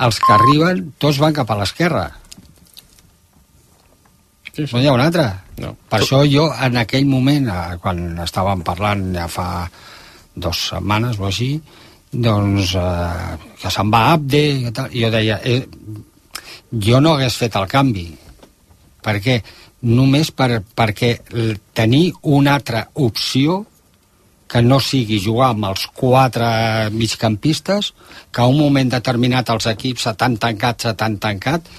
els que arriben tots van cap a l'esquerra. Sí. No hi ha un altre. No. Per això jo, en aquell moment, quan estàvem parlant ja fa 2 setmanes o així, doncs que se'n va Abde i tal, jo deia jo no hagués fet el canvi. Per què? Només perquè tenir una altra opció que no sigui jugar amb els 4 migcampistes, que a un moment determinat els equips se t'han tancat,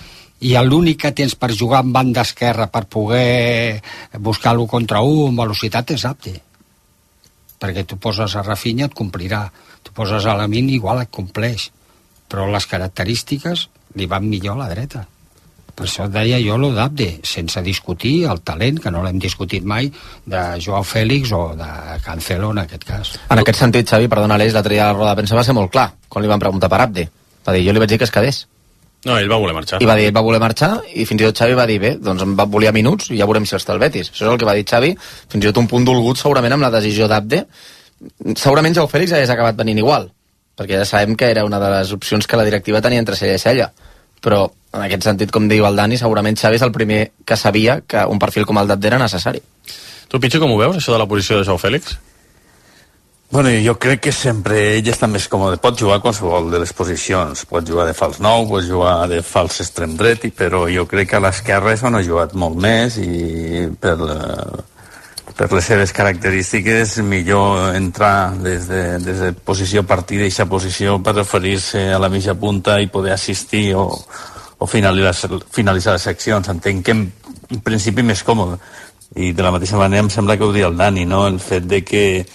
i l'únic que tens per jugar en banda esquerra per poder buscar l'1 contra 1 amb velocitat és Abde. Perquè tu poses a Rafinha, et complirà. Tu poses a Lamine, igual et compleix. Però les característiques li van millor a la dreta. Per això deia jo lo d'Abde, sense discutir el talent, que no l'hem discutit mai, de Joao Félix o de Cancelo en aquest cas. En aquest sentit, Xavi, perdona l'Aleix, l'altre dia a la roda de premsa va ser molt clar, quan li van preguntar per Abde. Va dir, jo li vaig dir que es quedés. No, ell va voler marxar. I va dir, ell va voler marxar, i fins i tot Xavi va dir, bé, doncs em volia minuts i ja veurem si està el Betis. Això és el que va dir Xavi, fins i tot un punt dolgut segurament amb la decisió d'Abde. Segurament Joao Félix hagués acabat venint igual, perquè ja sabem que era una de les opcions que la directiva tenia entre cella i cella. Però, en aquest sentit, com diu el Dani, segurament Xavi és el primer que sabia que un perfil com el d'Abde era necessari. Tu, Pitxo, com ho veus, això de la posició de Joao Félix? Bueno, jo crec que sempre ell està més còmode. Pot jugar a qualsevol de les posicions. Pot jugar de fals 9, pot jugar de fals extrem dret, però jo crec que a l'esquerra és on ha jugat molt més i per les seves característiques millor entrar des de posició a partir d'aquesta posició per referir-se a la mitja punta i poder assistir o finalitzar les seccions. Entenc que en principi més còmode. I de la mateixa manera em sembla que ho diu el Dani, no? El fet de que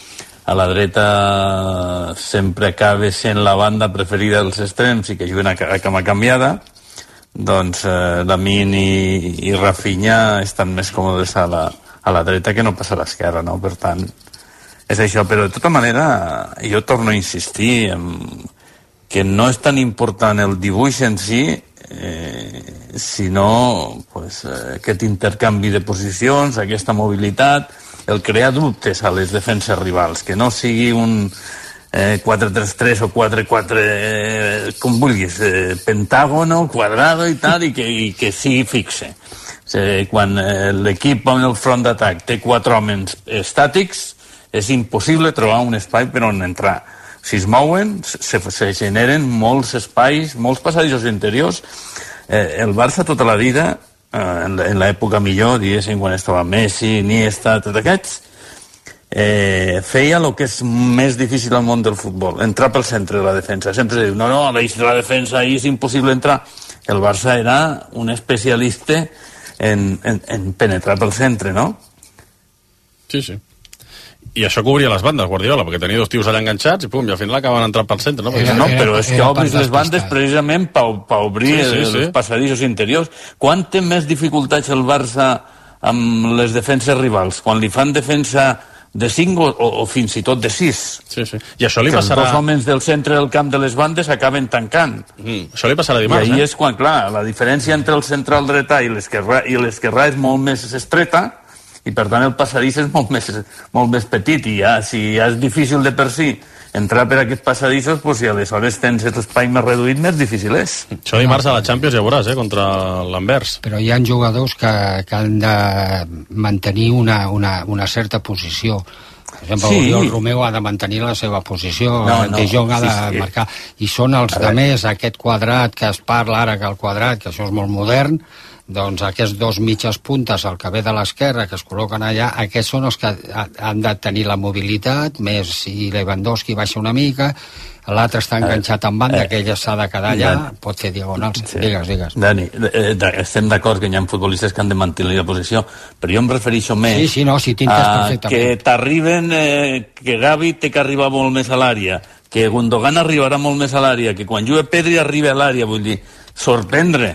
a la dreta sempre acaba sent la banda preferida dels extrems i que juguen a cama canviada, doncs Lamine i Rafinha estan més còmodes a la dreta que no pas a l'esquerra, no? Per tant, és això. Però de tota manera, jo torno a insistir que no és tan important el dibuix en si, sinó pues, aquest intercanvi de posicions, aquesta mobilitat, el crear dubtes a les defenses rivals, que no sigui un 4-3-3 o 4-4, com vulguis, pentàgono, quadrado i tal, i que sigui fixe. Quan l'equip en el front d'atac té 4 homes estàtics, és impossible trobar un espai per on entrar. Si es mouen, se generen molts espais, molts passadissos interiors. El Barça tota la vida, en l'època millor, diguéssim, quan estava Messi, Iniesta, tots aquests, feia el que és més difícil al món del futbol, entrar pel centre de la defensa. Sempre diu, no, la defensa ahí és impossible entrar. El Barça era un especialista en penetrar pel centre, no? Sí, sí. I això cobria les bandes, Guardiola, perquè tenia 2 tios allà enganxats i pum, i al final acaben entrant pel centre, no? Però és que obris les bandes precisament per obrir els passadissos interiors. Quan té més dificultats el Barça amb les defenses rivals? Quan li fan defensa de 5 o fins i tot de 6? Sí, sí. I això li passarà... Els 2 homes del centre del camp de les bandes acaben tancant. Això li passarà dimarts, I ahí és quan, clar, la diferència entre el central dretà i l'esquerrà és molt més estreta, i per tant el passadís és molt més petit, i ja, si ja és difícil de per si entrar per aquests passadissos, doncs si aleshores tens l'espai més reduït, més difícil és. Això dimarts a la Champions ja veuràs, contra l'Anvers. Però hi ha jugadors que han de mantenir una certa posició. Per exemple, Oriol Romeu ha de mantenir la seva posició, De Jong ha de marcar, i són els de més, aquest quadrat que es parla ara, que el quadrat, que això és molt modern, doncs aquests 2 mitges puntes, el que ve de l'esquerra, que es col·loquen allà, aquests són els que han de tenir la mobilitat, més si Lewandowski baixa una mica, l'altre està enganxat en banda, que ell s'ha de quedar allà, pot fer diagonals. Digues. Dani, estem d'acord que hi ha futbolistes que han de mantenir la posició, però jo em refereixo més que t'arriben, que Gavi té que arribar molt més a l'àrea, que Gundogan arribarà molt més a l'àrea, que quan juga Pedri arriba a l'àrea, vull dir, sorprendre.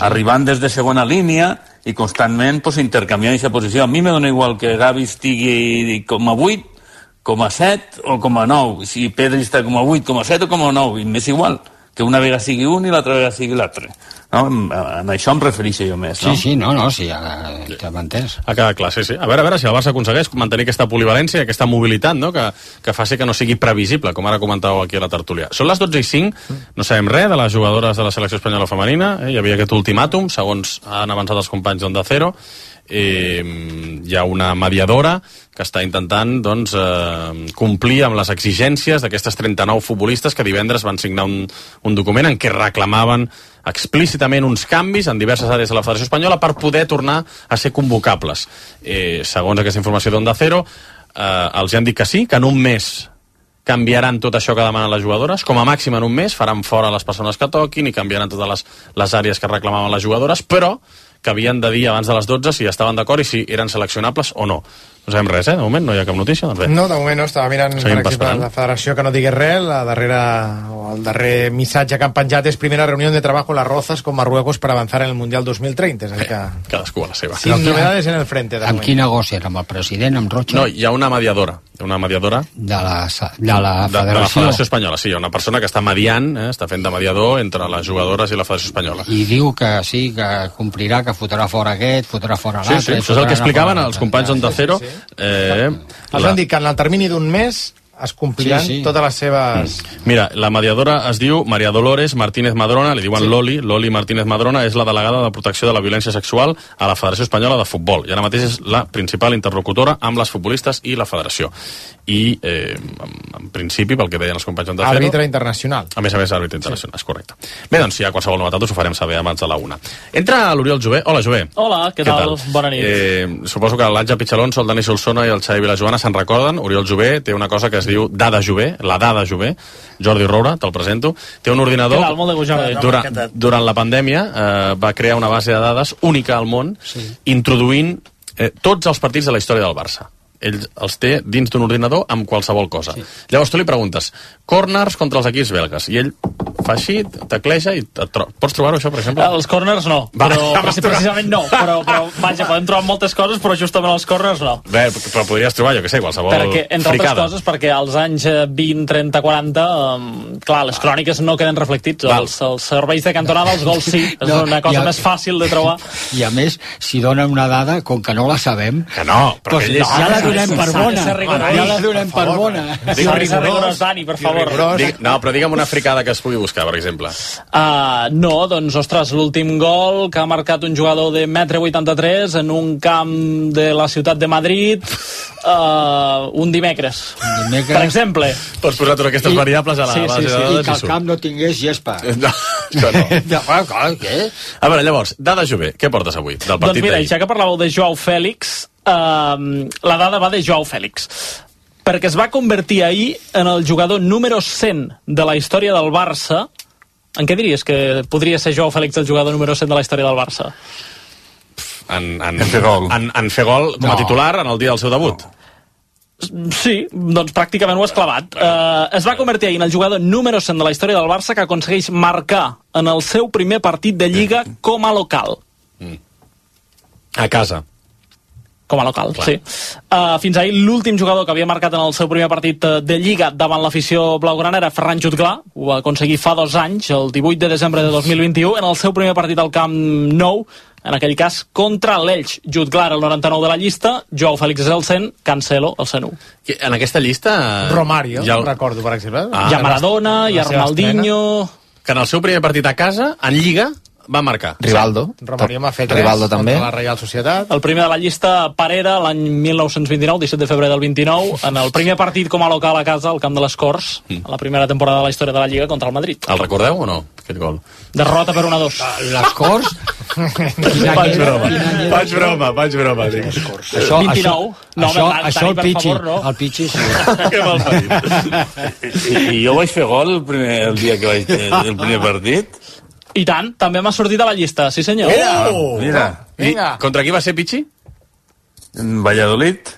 Arribant des de segona línia i constantment intercanviant aquesta posició. A mi me dona igual que Gavi estigui com a 8, com a 7 o com a 9. Si Pedri està com a 8, com a 7 o com a 9, m'és igual. que una vegada sigui un i l'altra vegada sigui l'altre. No? En això em refereixo jo més, no? Sí, ja t'hem entès. Ha quedat clar, sí. A veure si el Barça aconsegueix mantenir aquesta polivalència, aquesta mobilitat, no? que faci que no sigui previsible, com ara comentàveu aquí a la tertúlia. Són les 12:05, no sabem res de les jugadores de la selecció espanyola femenina, hi havia aquest ultimàtum, segons han avançat els companys d'Onda Cero, hi ha una mediadora que està intentant complir amb les exigències d'aquestes 39 futbolistes que divendres van signar un document en què reclamaven explícitament uns canvis en diverses àrees de la Federació Espanyola per poder tornar a ser convocables. Segons aquesta informació d'Onda Cero, els han dit que sí, que en un mes canviaran tot això que demanen les jugadores, com a màxim en un mes faran fora les persones que toquin i canviaran totes les àrees que reclamaven les jugadores, però que havien de dir abans de les 12 si estaven d'acord i si eren seleccionables o no. No sabem res, de moment no hi ha cap notícia. Doncs no, de moment no, estava mirant per exemple la federació que no digués res, el darrer missatge que han penjat és primera reunió de treball con las Rozas con Marruecos per avançar en el Mundial 2030. Cadascú a la seva. Sin novedades en el frente. Amb qui negocien? Amb el president, amb Rocha? No, hi ha una mediadora de la Federació Espanyola, sí, hi ha una persona que està mediant, està fent de mediador entre les jugadores i la Federació Espanyola. I diu que sí, que complirà, que fotrà fora aquest, fotrà fora l'altre... Sí, això és el que explicaven els companys d'Onda Cero. Els han dit que en el termini d'un mes es compliran totes les seves... Mira, la mediadora es diu María Dolores Martínez Madrona, li diuen Loli Martínez Madrona, és la delegada de protecció de la violència sexual a la Federació Espanyola de Futbol, i ara mateix és la principal interlocutora amb les futbolistes i la federació. I, en principi, pel que deien els companys d'Onda Cero... Àrbitre internacional. A més, àrbitre internacional, és correcte. Bé, doncs, si hi ha qualsevol novetat, us ho farem saber abans de la 1. Entra l'Oriol Jové. Hola, Jové. Hola, què tal? Bona nit. Suposo que l'Àngel Pichalonso, el Dani Solsona i el Xavi Vilajoana se'n recorden. Oriol Jové té una cosa que es diu Dada Jové, la Dada Jové. Jordi Roura, te'l presento. Té un ordinador... Què tal? Molt de gust, Jordi. Durant la pandèmia va crear una base de dades única al món, introduint tots els partits de la història del Barça. Ell els té dins d'un ordinador amb qualsevol cosa. Llavors tu li preguntes corners contra els equips belgues i ell fa així, tecleja i pots trobar-ho això, per exemple? Els corners no, però precisament no, però vaja, podem trobar moltes coses, però justament els corners no. Bé, però podries trobar, jo què sé, qualsevol perquè, entre altres coses, perquè als anys 20, 30, 40 clar, les cròniques no queden reflectits, els serveis de cantonada, els gols sí, és una cosa més fàcil de trobar. I a més, si donen una dada, com que no la sabem, que no, però que ja la donem per bona. Ja la donem per bona. Rigorós, Dani, per favor. No, però digue'm una fricada que es pugui buscar, per exemple. No, doncs, ostres, l'últim gol que ha marcat un jugador de 1,83 m en un camp de la ciutat de Madrid un dimecres. Per exemple. Pots posar totes aquestes variables a la base de dades. I que el camp no tingués gespa. No, què? A veure, llavors, Dada Jové, què portes avui del partit d'ahir? Doncs mira, ja que parlàveu de Joao Fèlix, la dada va de Joao Fèlix, perquè es va convertir ahir en el jugador número 100 de la història del Barça. En què diries que podria ser Joao Fèlix el jugador número 100 de la història del Barça? En fer gol com a titular en el dia del seu debut. Sí, doncs pràcticament ho has clavat. Es va convertir ahir en el jugador número 100 de la història del Barça que aconsegueix marcar en el seu primer partit de Lliga com a local. A casa. Com a local, clar. Sí. Fins ahir l'últim jugador que havia marcat en el seu primer partit de Lliga davant l'afició blaugrana era Ferran Jutglar. Ho va aconseguir fa 2 anys, el 18 de desembre de 2021, en el seu primer partit al Camp Nou, en aquell cas contra l'Elx. Jutglar el 99 de la llista, Joao Fèlix és el 100, Cancelo el 101. En aquesta llista... Romario, recordo, per exemple. Hi ha Maradona, hi ha Ronaldinho... Que en el seu primer partit a casa, en Lliga, va marcar. Rivaldo. Romario m'ha fet 3 Rivaldo també. Contra la Reial Societat. El primer de la llista, Parera, l'any 1929, 17 de febrer del 29, en el primer partit com a local a casa, al Camp de les Corts, a la primera temporada de la història de la Lliga contra el Madrid. El recordeu o no, aquest gol? Derrota per 1-2. Les Corts? Faig broma. Això, 29. Això el Pichi. El Pichi sí. Que mal parit. I jo vaig fer gol el dia que vaig el primer partit. I tant, també m'ha sortit a la llista, sí senyor. Mira. Contra qui va ser Pichi? En Valladolid.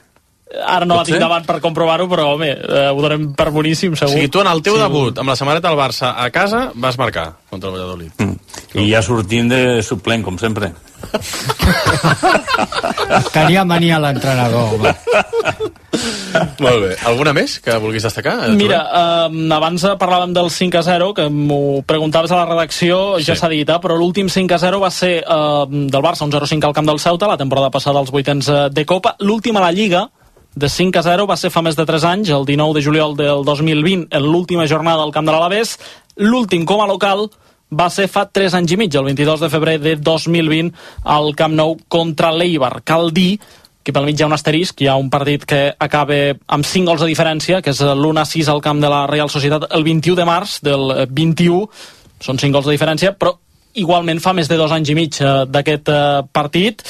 Ara no la tinc davant per comprovar-ho, però home, ho donem per boníssim, segur. O sigui, tu en el teu debut amb la samarreta del Barça a casa vas marcar contra el Valladolid. I ja sortint de suplent, com sempre. Tenia mania l'entrenador, home. Molt bé. Alguna més que vulguis destacar? Mira, abans parlàvem del 5-0, que m'ho preguntaves a la redacció, ja s'ha dit, però l'últim 5-0 va ser del Barça, un 0-5 al camp del Ceuta, la temporada passada als vuitens de Copa. L'últim a la Lliga, de 5-0, va ser fa més de 3 anys, el 19 de juliol del 2020, en l'última jornada al camp de l'Alavés. L'últim com a local va ser fa 3 anys i mig, el 22 de febrer de 2020, al Camp Nou contra l'Eibar. Cal dir que pel mig hi ha un asterisc, hi ha un partit que acaba amb 5 gols de diferència, que és l'1-6 al camp de la Real Societat el 21 de març del 21, són 5 gols de diferència, però igualment fa més de 2 anys i mig d'aquest partit.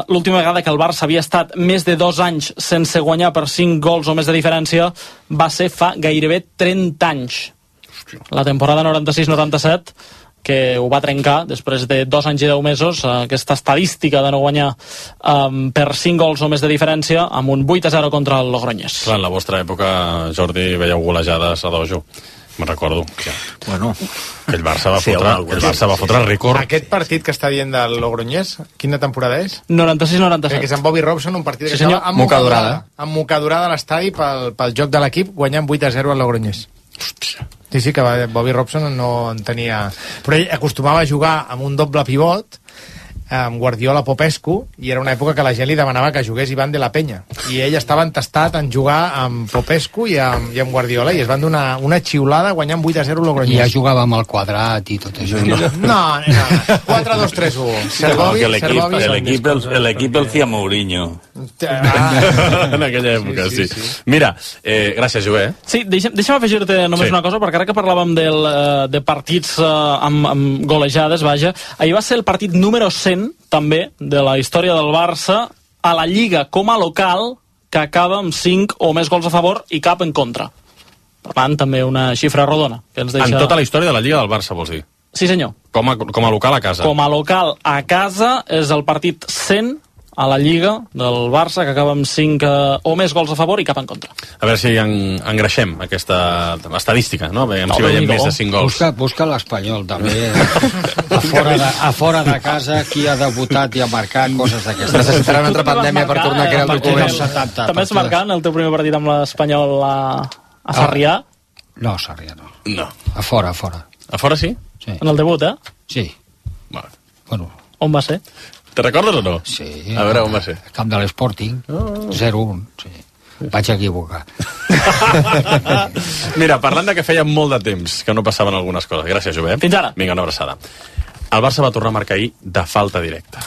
L'última vegada que el Barça havia estat més de 2 anys sense guanyar per 5 gols o més de diferència va ser fa gairebé 30 anys. La temporada 96-97, que ho va trencar després de 2 anys i 10 mesos, aquesta estadística de no guanyar per 5 gols o més de diferència, amb un 8-0 contra el Logroñés. Clar, en la vostra època, Jordi, veieu golejades a dojo. Me'n recordo. Bueno, el Barça va fotre el rècord. Aquest partit que està dient del Logroñés, quina temporada és? 96-97. Que és amb Bobby Robson, un partit que senyor, estava amb mocadurada a l'estadi pel joc de l'equip, guanyant 8-0 al Logroñés. Hòstia. Sí, que Bobby Robson no en tenia... Però ell acostumava a jugar amb un doble pivot, amb Guardiola Popescu, i era una època que la gent li demanava que jugués Iván de la Peña. I ell estava entestat en jugar amb Popescu i amb Guardiola, i es van donar una xiulada guanyant 8-0 Logroñés. I ja jugava amb el quadrat i tot això. No. 4-2-3-1. L'equip el feia Mourinho. En aquella època, sí. Mira, gràcies, Joé. Sí, deixa'm afegir-te només una cosa, perquè ara que parlàvem de partits amb golejades, vaja, ahir va ser el partit número 100 també de la història del Barça a la Lliga com a local, que acaba amb 5 o més gols a favor i cap en contra. Per tant, també una xifra rodona que ens deixa... En tota la història de la Lliga del Barça, vols dir? Sí, senyor. Com a local a casa. Com a local a casa és el partit 100 a la Lliga del Barça, que acaba amb 5 o més gols a favor i cap en contra. A veure si engreixem aquesta estadística, no? Veiem si veiem més de 5 gols. Busca l'Espanyol, també. A fora de casa, qui ha debutat i ha marcat, coses d'aquestes. Necessitarà una altra pandèmia per tornar a crear el document. També és marcant el teu primer partit amb l'Espanyol a Sarrià? No, Sarrià no. No. A fora. A fora sí? Sí. En el debut, Sí. Bueno. On va ser? Te recordes o no? Sí. A veure, on va ser? Camp de l'Sporting, 0-1, sí. Vaig equivocar. Mira, parlant de que feia molt de temps que no passaven algunes coses. Gràcies, Jové. Fins ara. Vinga, una abraçada. El Barça va tornar a marcar ahir de falta directa.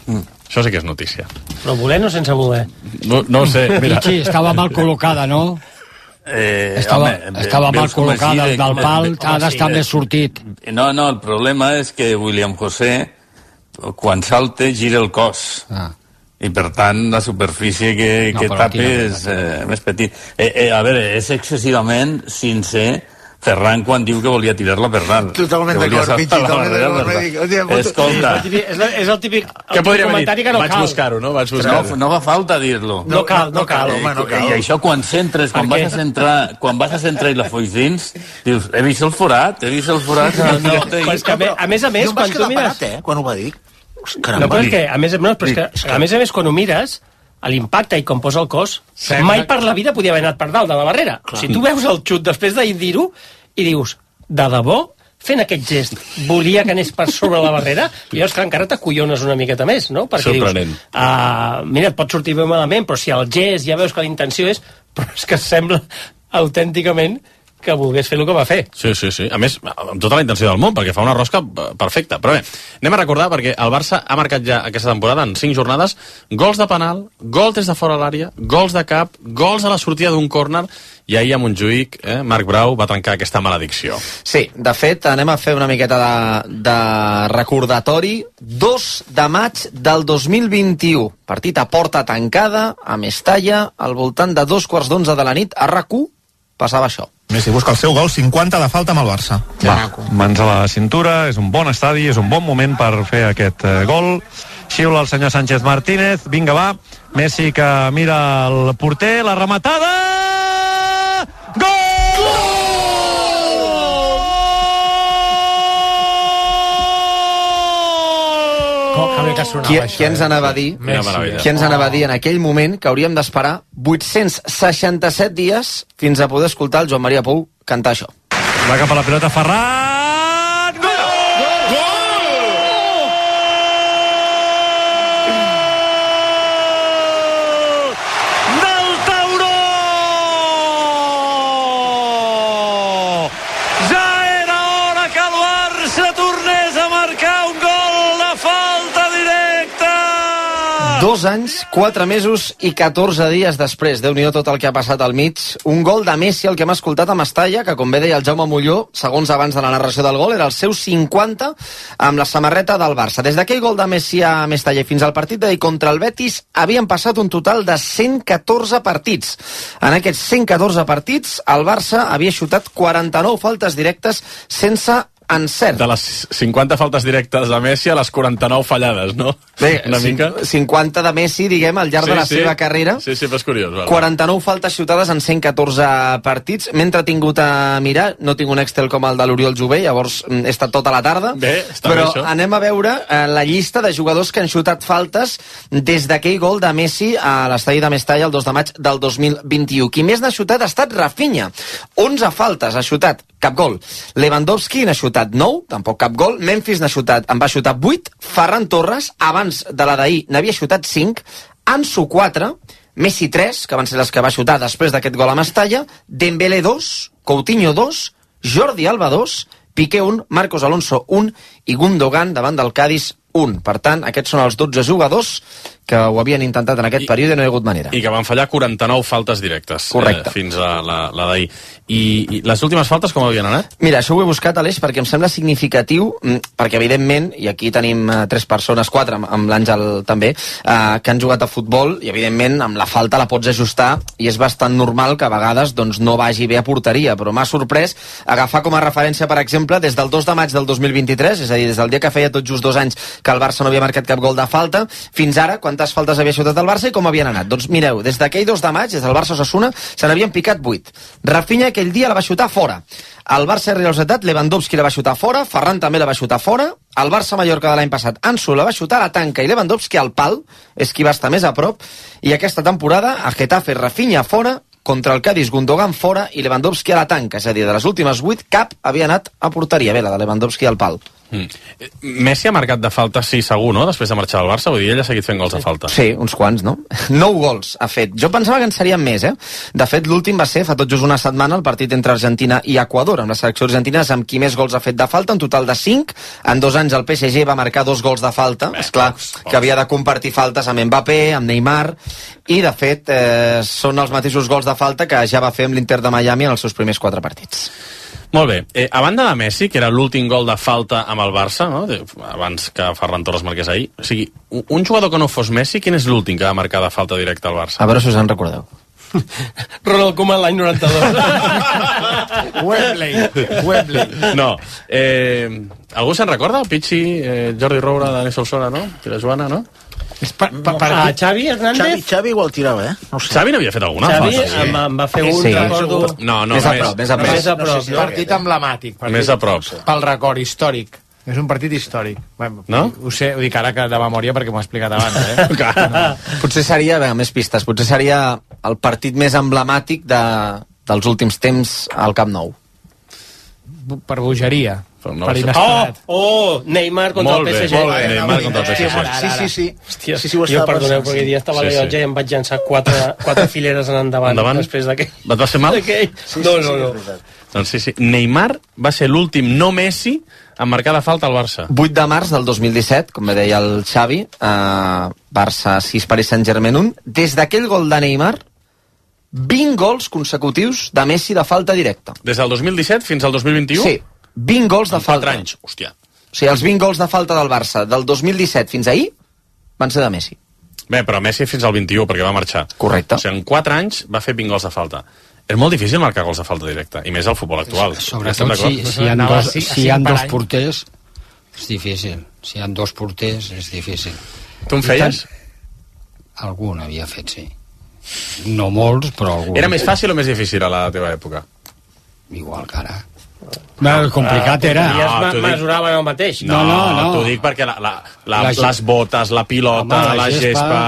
Això sí que és notícia. Però voler no sense voler. No ho sé, mira. Sí, estava mal col·locada, no? Estava mal col·locada del pal, ha d'estar més sortit. No, el problema és que William José, quan salta, gira el cos. I per tant la superfície que tapa és més petit. A veure, és excessivament sincer Ferran quan diu que volia tirar-la per dalt. Totalment d'acord, Pichi, escolta, és el típic què podria haver dit? que no Vaig cal. buscar-ho, no? No fa falta dir-lo. No cal, home, no cal. I això quan centres, quan vas a centrar i la foix dins, dius, he vist el forat. Però és que a més, quan tu mires... quan ho va dir. No, però és que, a més, quan ho mires, a l'impacte i com posa el cos, mai per la vida podia haver anat per dalt de la barrera. Si tu veus el xut després de dir-ho i dius, de debò, fent aquest gest, volia que anés per sobre la barrera, i llavors que encara t'acollones una miqueta més, no? Perquè sorprenent. Dius, mira, et pot sortir bé malament, però si el gest ja veus que la intenció és... Però és que sembla autènticament que volgués fer el que va fer. Sí. A més, amb tota la intenció del món, perquè fa una rosca perfecta. Però bé, anem a recordar, perquè el Barça ha marcat ja aquesta temporada, en 5 jornades, gols de penal, gols des de fora l'àrea, gols de cap, gols a la sortida d'un córner, i ahir a Montjuïc, Marc Brau va trencar aquesta maledicció. Sí, de fet, anem a fer una miqueta de recordatori. 2 de maig del 2021. Partit a porta tancada, a Mestalla, al voltant de 2:15 de la nit, a RAC1, passava això. Messi busca el seu gol 50 de falta amb el Barça. Mans a la cintura, és un bon estadi, és un bon moment per fer aquest gol. Xiula el senyor Sánchez Martínez, vinga va, Messi que mira el porter, la rematada... Gol! Qui ens anava a dir en aquell moment que hauríem d'esperar 867 dies fins a poder escoltar el Joan Maria Pou cantar això. Va cap a la pilota Ferran! Dos anys, 4 mesos i 14 dies després. Déu-n'hi-do tot el que ha passat al mig. Un gol de Messi, el que hem escoltat a Mestalla, que com bé deia el Jaume Molló, segons abans de la narració del gol, era el seu 50 amb la samarreta del Barça. Des d'aquell gol de Messi a Mestalla fins al partit d'ahir contra el Betis havien passat un total de 114 partits. En aquests 114 partits, el Barça havia xutat 49 faltes directes sense encert. De les 50 faltes directes de Messi a les 49 fallades, no? Bé, una mica. 50 de Messi, diguem, al llarg de la seva carrera. Sí, però és curiós. Vale. 49 faltes xutades en 114 partits. M'he entretingut a mirar, no tinc un Excel com el de l'Oriol Jové, llavors he estat tota la tarda. Bé, està però bé això. Anem a veure la llista de jugadors que han xutat faltes des d'aquell gol de Messi a l'estadi de Mestalla el 2 de maig del 2021. Qui més n'ha xutat ha estat Rafinha. 11 faltes ha xutat, cap gol. Lewandowski n'ha xutat 9, tampoc cap gol. Memphis en va xutar 8. Ferran Torres, abans de la d'ahir, n'havia xutat 5. Ansu 4, Messi 3, que van ser les que va xutar després d'aquest gol a Mestalla, Dembélé 2, Coutinho 2, Jordi Alba 2, Piqué 1, Marcos Alonso 1 i Gundogan davant del Cádiz 1. Per tant, aquests són els 12 jugadors que ho havien intentat en aquest període i no hi ha hagut manera. I que van fallar 49 faltes directes. Correcte. Fins a la d'ahir. I les últimes faltes com havien anat? Mira, això ho he buscat, Aleix, perquè em sembla significatiu, perquè evidentment, i aquí tenim 3 persones, 4 amb l'Àngel també, que han jugat a futbol, i evidentment amb la falta la pots ajustar, i és bastant normal que a vegades doncs, no vagi bé a porteria, però m'ha sorprès agafar com a referència, per exemple, des del 2 de maig del 2023, és a dir, des del dia que feia tot just 2 anys que el Barça no havia marcat cap gol de falta, fins ara, quantes faltes havia xutat el Barça i com havien anat. Doncs mireu, des d'aquell 2 de maig, des del Barça-Osasuna, se n'havien picat 8. Rafinha aquell dia la va xutar fora. El Barça Real Societat, Lewandowski la va xutar fora, Ferran també la va xutar fora, el Barça-Mallorca de l'any passat, Ansu la va xutar a la tanca i Lewandowski al pal, és qui va estar més a prop, i aquesta temporada, a Getafe, Rafinha fora, contra el Cádiz, Gundogan fora i Lewandowski a la tanca, és a dir, de les últimes 8, cap havia anat a porteria. Bé, la de Lewandowski al pal. Messi ha marcat de falta, sí, segur, no?, després de marxar del Barça, vull dir, ell ha seguit fent gols de falta. Sí, uns quants, no? 9 gols ha fet. Jo pensava que en serien més, De fet, l'últim va ser, fa tot just una setmana, el partit entre Argentina i Equador, amb la selecció argentina, amb qui més gols ha fet de falta, en total de 5. En 2 anys el PSG va marcar 2 gols de falta. És clar que havia de compartir faltes amb Mbappé, amb Neymar, i de fet són els mateixos gols de falta que ja va fer amb l'Inter de Miami en els seus primers 4 partits. Molt bé. A banda de Messi, que era l'últim gol de falta amb el Barça, no?, abans que Ferran Torres marqués ahir, o sigui, un jugador que no fos Messi, quin és l'últim que va marcar de falta directa al Barça? A veure si us en recordeu. Ronald Koeman l'any 92. Wembley. No. Algú se'n recorda? Pichi, Jordi Roura, Dani Solsona, no? Pere Joana, no? Xavi Hernández? Xavi igual tirava, No sé. Xavi n'havia fet alguna Xavi falta, sí. em va fer un, Sí. recordo... No, Més a prop, més a prop. Més a prop. Partit emblemàtic. Més a prop. Pel record històric. És un partit històric. Bueno, no? Ho sé, ho dic ara que de memòria perquè m'ho he explicat abans, Potser seria, més pistes, potser seria el partit més emblemàtic dels últims temps al Camp Nou. Per bogeria. No per inesperat. Neymar contra el PSG. Molt bé, Neymar contra el PSG. Sí. Hòstia, Sí, ho jo estava perdoneu, pensant, perquè dia estava a la llotja i em vaig llançar 4 fileres en endavant. Després d'aquell. Et va fer mal? No. Doncs sí. Neymar va ser l'últim no Messi en marcar de falta al Barça. 8 de març del 2017, com bé deia el Xavi, Barça 6, Paris Saint-Germain 1. Des d'aquell gol de Neymar, 20 gols consecutius de Messi de falta directa. Des del 2017 fins al 2021? Sí, 20 gols de falta. 4 anys, hòstia. O sigui, els 20 gols de falta del Barça del 2017 fins ahir van ser de Messi. Bé, però Messi fins al 21, perquè va marxar. Correcte. O sigui, en 4 anys va fer 20 gols de falta. És molt difícil marcar gols de falta directa, i més al futbol actual. Sobretot si hi ha dos porters, és difícil. Si hi ha 2 porters, és difícil. Tu en feies? Algun havia fet, sí. No molts, però algun. Era més fàcil o més difícil a la teva època? Igual que ara. Complicat era. Ja es mesuraven el mateix. No, t'ho dic perquè les botes, la pilota, la gespa,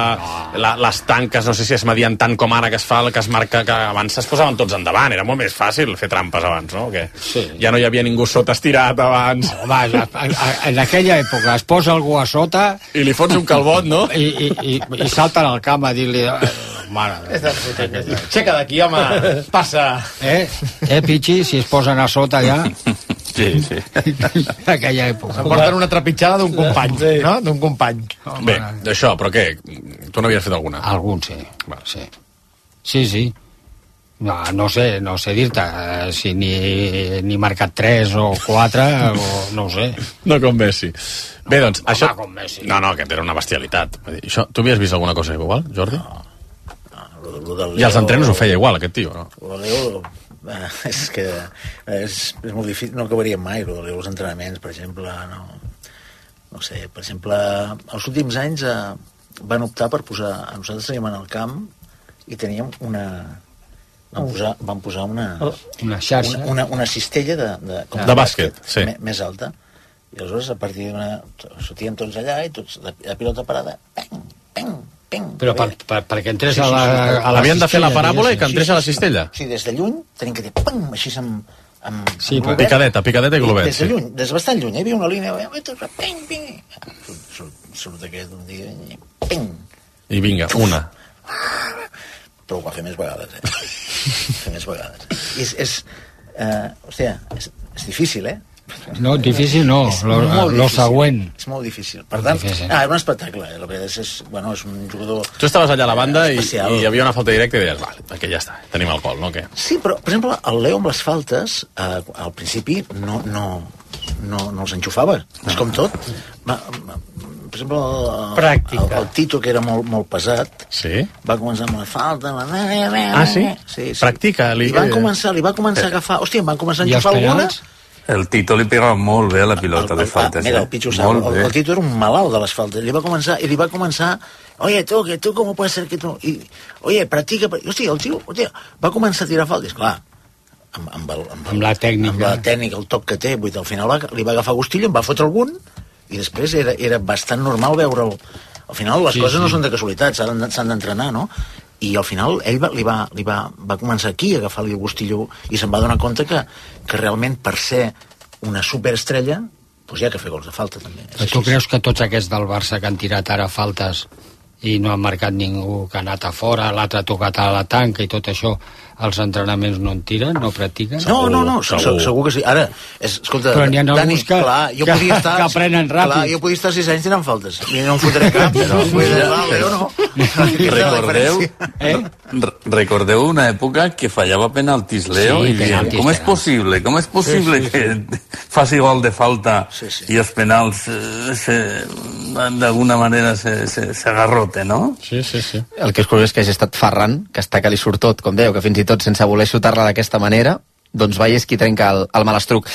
les tanques, no sé si es medien tant com ara que es fa, que es marca, que abans es posaven tots endavant, era molt més fàcil fer trampes abans, no? Sí. Ja no hi havia ningú sota estirat abans. Home, en aquella època es posa algú a sota... I li fots un calbot, no? I salten al camp a dir-li... Mare, aixeca d'aquí, home, passa. Pichi, si es posen a sota ja... Sí. Aquella època. S'emporten una trepitjada d'un company, no? D'un company. Bé, d'això, però què? Tu n'havies fet alguna? Algun, sí. Sí. No sé dir-te si ni marcat 3 o 4 o no ho sé. No com Messi. Bé, doncs, això... Com Messi. No, aquest era una bestialitat. Això, tu havies vist alguna cosa igual, Jordi? I als entrenos ho feia igual, aquest tio, no? És que és molt difícil, no acabaríem mai els entrenaments, per exemple, no sé, per exemple, els últims anys van optar per posar, nosaltres teníem en el camp i teníem van posar una xarxa, una cistella de bàsquet, sí, més alta, i aleshores a partir sortíem tots allà i tots la pilota parada, peng, però perquè entrés a la havien de fer la paràbola i que entrés a la cistella. Sí, des de lluny tenim que dir pam, així amb sí, picadeta i globet. Des de lluny, des de bastant lluny, hi havia una línia, ping, surt aquest un dia, ping. I vinga, una. Però ho va fer més vegades. És difícil, No, difícil no, lo següent. És molt difícil. Per tant, era un espectacle. La veritat és un jugador... Tu estaves allà a la banda i hi havia una falta directa i deies, vale, perquè ja està, tenim el gol, no? Què? Sí, però, per exemple, el Leo amb les faltes, al principi no els enxufava. És com tot. Per exemple, el Tito, que era molt pesat, va començar amb la falta... Ah, sí? Practica. Li va començar a agafar... Hòstia, em van començar a enxufar alguna... El Tito li pegava molt bé a la pilota de faltes. Mira, el Pichu sap, el Tito era un malalt de les faltes. Li va començar, oye, tú, ¿cómo puede ser que tú? Oye, practica. Hòstia, el tio, va començar a tirar faltes. Clar, amb la tècnica, el toc que té, al final li va agafar gustillo, em va fotre algun, i després era bastant normal veure'l. Al final les coses no són de casualitat, s'han d'entrenar, no? I al final ell va començar aquí a agafar-li el gustillo i se'n va donar compte que realment per ser una superestrella doncs hi ha que fer gols de falta també. Tu creus que tots aquests del Barça que han tirat ara faltes i no han marcat ningú, que ha anat a fora, l'altre ha tocat a la tanca i tot això, els entrenaments no en tiren, no practiquen? No, segur que sí. Ara, escolta, però n'hi ha Dani, que aprenen ràpid. Clar, jo podia estar 6 anys tirant faltes i no em fotré cap, però no. Recordeu una època que fallava penaltis, Leo, i diem, com és possible que faci gol de falta i els penals d'alguna manera s'agarroten, no? Sí. El que és curiós és que hagi estat Ferran, que està que li surt tot, com dèieu, que fins i tot sense voler xutar-la d'aquesta manera, doncs és qui trenca el malastruc.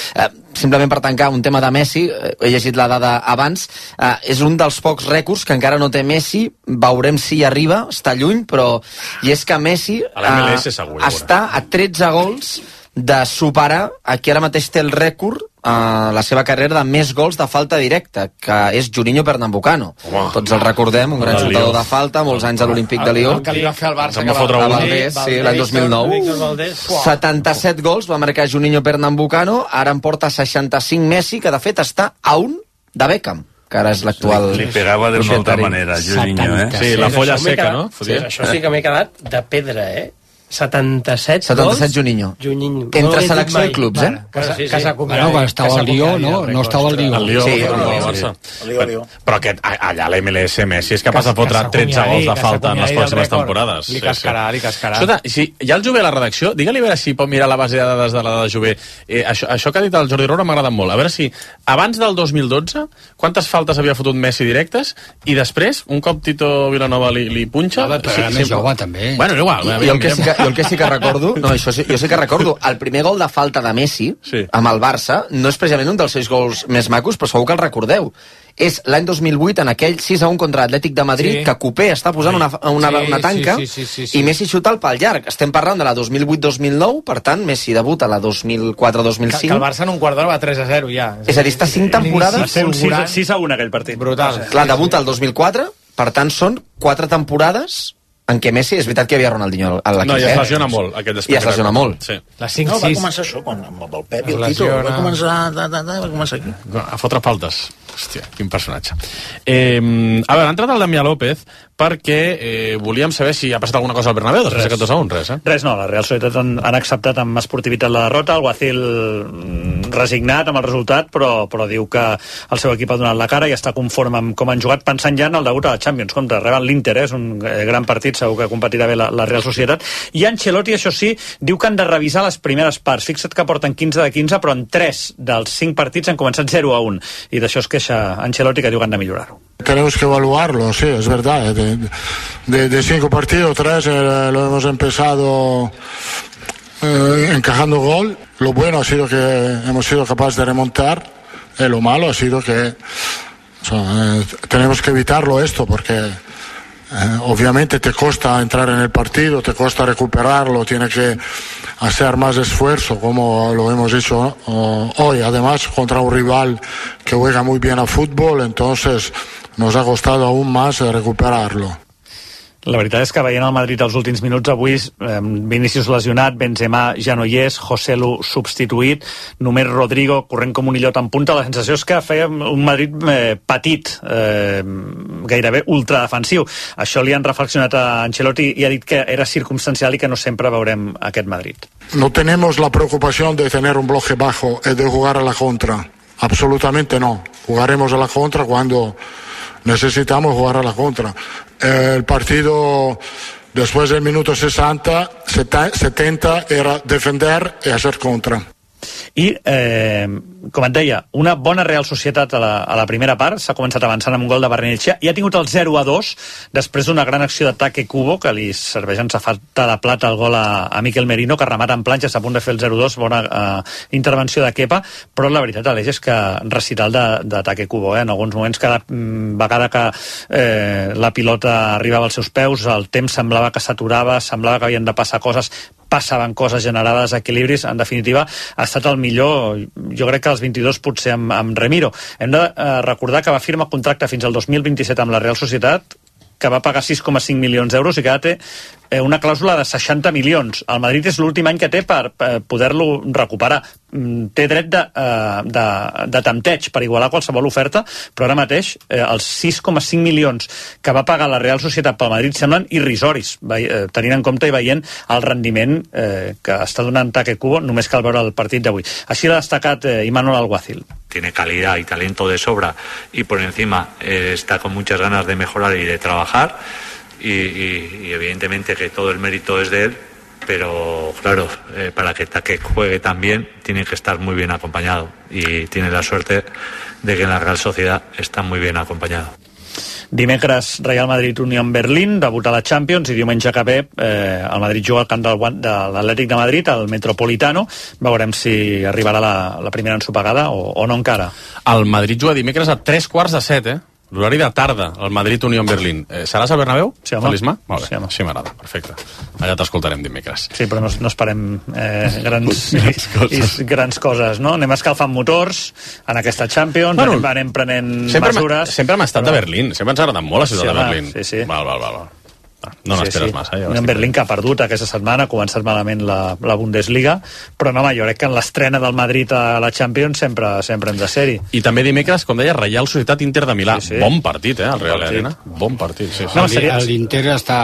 Simplement per tancar un tema de Messi, he llegit la dada abans, és un dels pocs rècords que encara no té Messi, veurem si hi arriba, està lluny, però i és que Messi està a 13 gols de superar, aquí ara mateix té el rècord la seva carrera de més gols de falta directa, que és Juninho Pernambucano. Tots el recordem, un gran xutador de falta, molts anys a l'Olímpic de Lió. El que li va fer al Barça, a Valdés, l'any 2009. 77 gols va marcar Juninho Pernambucano, ara en porta 65 Messi, que de fet està a un de Beckham, que ara és l'actual... Li pegava d'una altra manera, Juninho, eh? Sí, la folla seca, no? Això sí que m'he quedat de pedra, eh? 77 Juninho. Entre selecció i clubs, eh? Que s'acomiada. Quan estava al Lió, no? No estava al Lió. Al Lió. Però allà a l'MLS Messi és capaç de fotre 13 gols de falta en les pròximes temporades. Li cascarà. Escolta, si hi ha el Jové a la redacció, digue-li a veure si pot mirar la base de dades de la de Jové. Això que ha dit el Jordi Roura m'ha agradat molt. A veure si abans del 2012 quantes faltes havia fotut Messi directes i després, un cop Tito Vilanova li punxa... Però era més jove, també. Bueno, igual. I el que sí que el que sí que recordo, jo sí que recordo, el primer gol de falta de Messi amb el Barça no és precisament un dels 6 gols més macos, però segur que el recordeu. És l'any 2008, en aquell 6-1 contra Atlètic de Madrid, que Coupé està posant una tanca i Messi xuta el pal llarg. Estem parlant de la 2008-2009, per tant, Messi debuta la 2004-2005. Que el Barça en un quart d'hora va 3-0 ja. És a dir, està 5 temporades... Va ser un 6-1 aquell partit. Brutal. Clar, debuta el 2004, per tant, són 4 temporades en què Messi, és veritat que hi havia Ronaldinho a l'equip. No, i es lesiona molt, aquest I es lesiona molt. Sí. La 5-6. No, va començar això, quan amb el Pep i el Tito, va començar aquí. A fotre faltes. Hòstia, quin personatge. A veure, ha entrat el Damià López perquè volíem saber si ha passat alguna cosa al Bernabéu després d'aquest 2-1, res, Res, no, la Real Societat han acceptat amb esportivitat la derrota, el Guacil resignat amb el resultat, però diu que el seu equip ha donat la cara i està conforme amb com han jugat, pensant ja en el degut a la Champions. Compte, reben l'Inter, és un gran partit, segur que competirà bé la Real Societat. I Ancelotti, això sí, diu que han de revisar les primeres parts. Fixa't que porten 15 de 15, però en 3 dels 5 partits han començat 0-1. I d'això es queixa Ancelotti, que diu que han de millorar-ho. Tenemos que evaluarlo, sí, es verdad. De 5 partidos, 3 lo hemos empezado encajando gol. Lo bueno ha sido que hemos sido capaces de remontar. Lo malo ha sido que tenemos que evitarlo esto porque obviamente te cuesta entrar en el partido, te cuesta recuperarlo, tienes que hacer más esfuerzo como lo hemos hecho hoy, además contra un rival que juega muy bien a fútbol, entonces nos ha costado aún más recuperarlo. La veritat és que veient el Madrid els últims minuts avui, Vinícius lesionat, Benzema ja no hi és, Joselu substituït, només Rodrigo corrent com un illot en punta. La sensació és que feia un Madrid petit, gairebé ultradefensiu. Això li han reflexionat a Ancelotti i ha dit que era circumstancial i que no sempre veurem aquest Madrid. No tenemos la preocupación de tener un bloque bajo y de jugar a la contra. Absolutamente no. Jugaremos a la contra cuando necesitamos jugar a la contra. El partido después del minuto 70 era defender y hacer contra. I, com et deia, una bona Real Societat a la primera part, s'ha començat avançant amb un gol de Barrenetxea i ha tingut el 0-2 després d'una gran acció d'ataque Cubo, que li serveix en safata de plata el gol a Miquel Merino, que remata en planxa, està a punt de fer el 0-2, bona intervenció de Kepa, però la veritat, Aleix, és que recital d'ataque Cubo, en alguns moments, cada vegada que la pilota arribava als seus peus, el temps semblava que s'aturava, semblava que havien de passar coses, passaven coses generades, equilibris. En definitiva, ha estat el millor, jo crec que els 22 potser amb Remiro. Hem de recordar que va firmar contracte fins al 2027 amb la Real Societat, que va pagar 6,5 milions d'euros i que ara té una clàusula de 60 milions. El Madrid és l'últim any que té per poder-lo recuperar. Té dret de tempteig per igualar qualsevol oferta, però ara mateix els 6,5 milions que va pagar la Real Societat pel Madrid semblen irrisoris, tenint en compte i veient el rendiment que està donant Taque Cubo, només cal veure el partit d'avui. Així l'ha destacat Imanol Alguacil. Tiene calidad y talento de sobra y por encima está con muchas ganas de mejorar y de trabajar y evidentemente que todo el mérito es de él, pero claro, para que Taque juegue tan bien tiene que estar muy bien acompañado y tiene la suerte de que en la Real Sociedad está muy bien acompañado. Dimecres Real Madrid-Unión Berlín, debuta a la Champions, i diumenge que ve el Madrid juga al camp de l'Atlètic de Madrid, al Metropolitano. Veurem si arribarà la primera ensopegada o no encara. El Madrid juga dimecres a 3:45, l'horari de tarda, el Madrid-Unión Berlín. Seràs a Bernabéu? Sí, home. Felisma? Molt bé, sí, home. Així m'agrada, perfecte. Allà t'escoltarem dimecres. Sí, però no esperem grans coses, no? Anem escalfant motors en aquesta Champions, anem prenent mesures. Sempre hem estat de Berlín, sempre ens ha agradat molt la ciutat de Berlín. Sí. Val. No n'esperes massa. En Berlín, que ha perdut aquesta setmana, ha començat malament la Bundesliga, però no, jo crec que en l'estrena del Madrid a la Champions sempre hem de ser-hi. I també dimecres, com deia, Reial Societat Inter de Milà. Sí. Bon partit, el Real Arena. Bon partit, sí. No, l'Inter està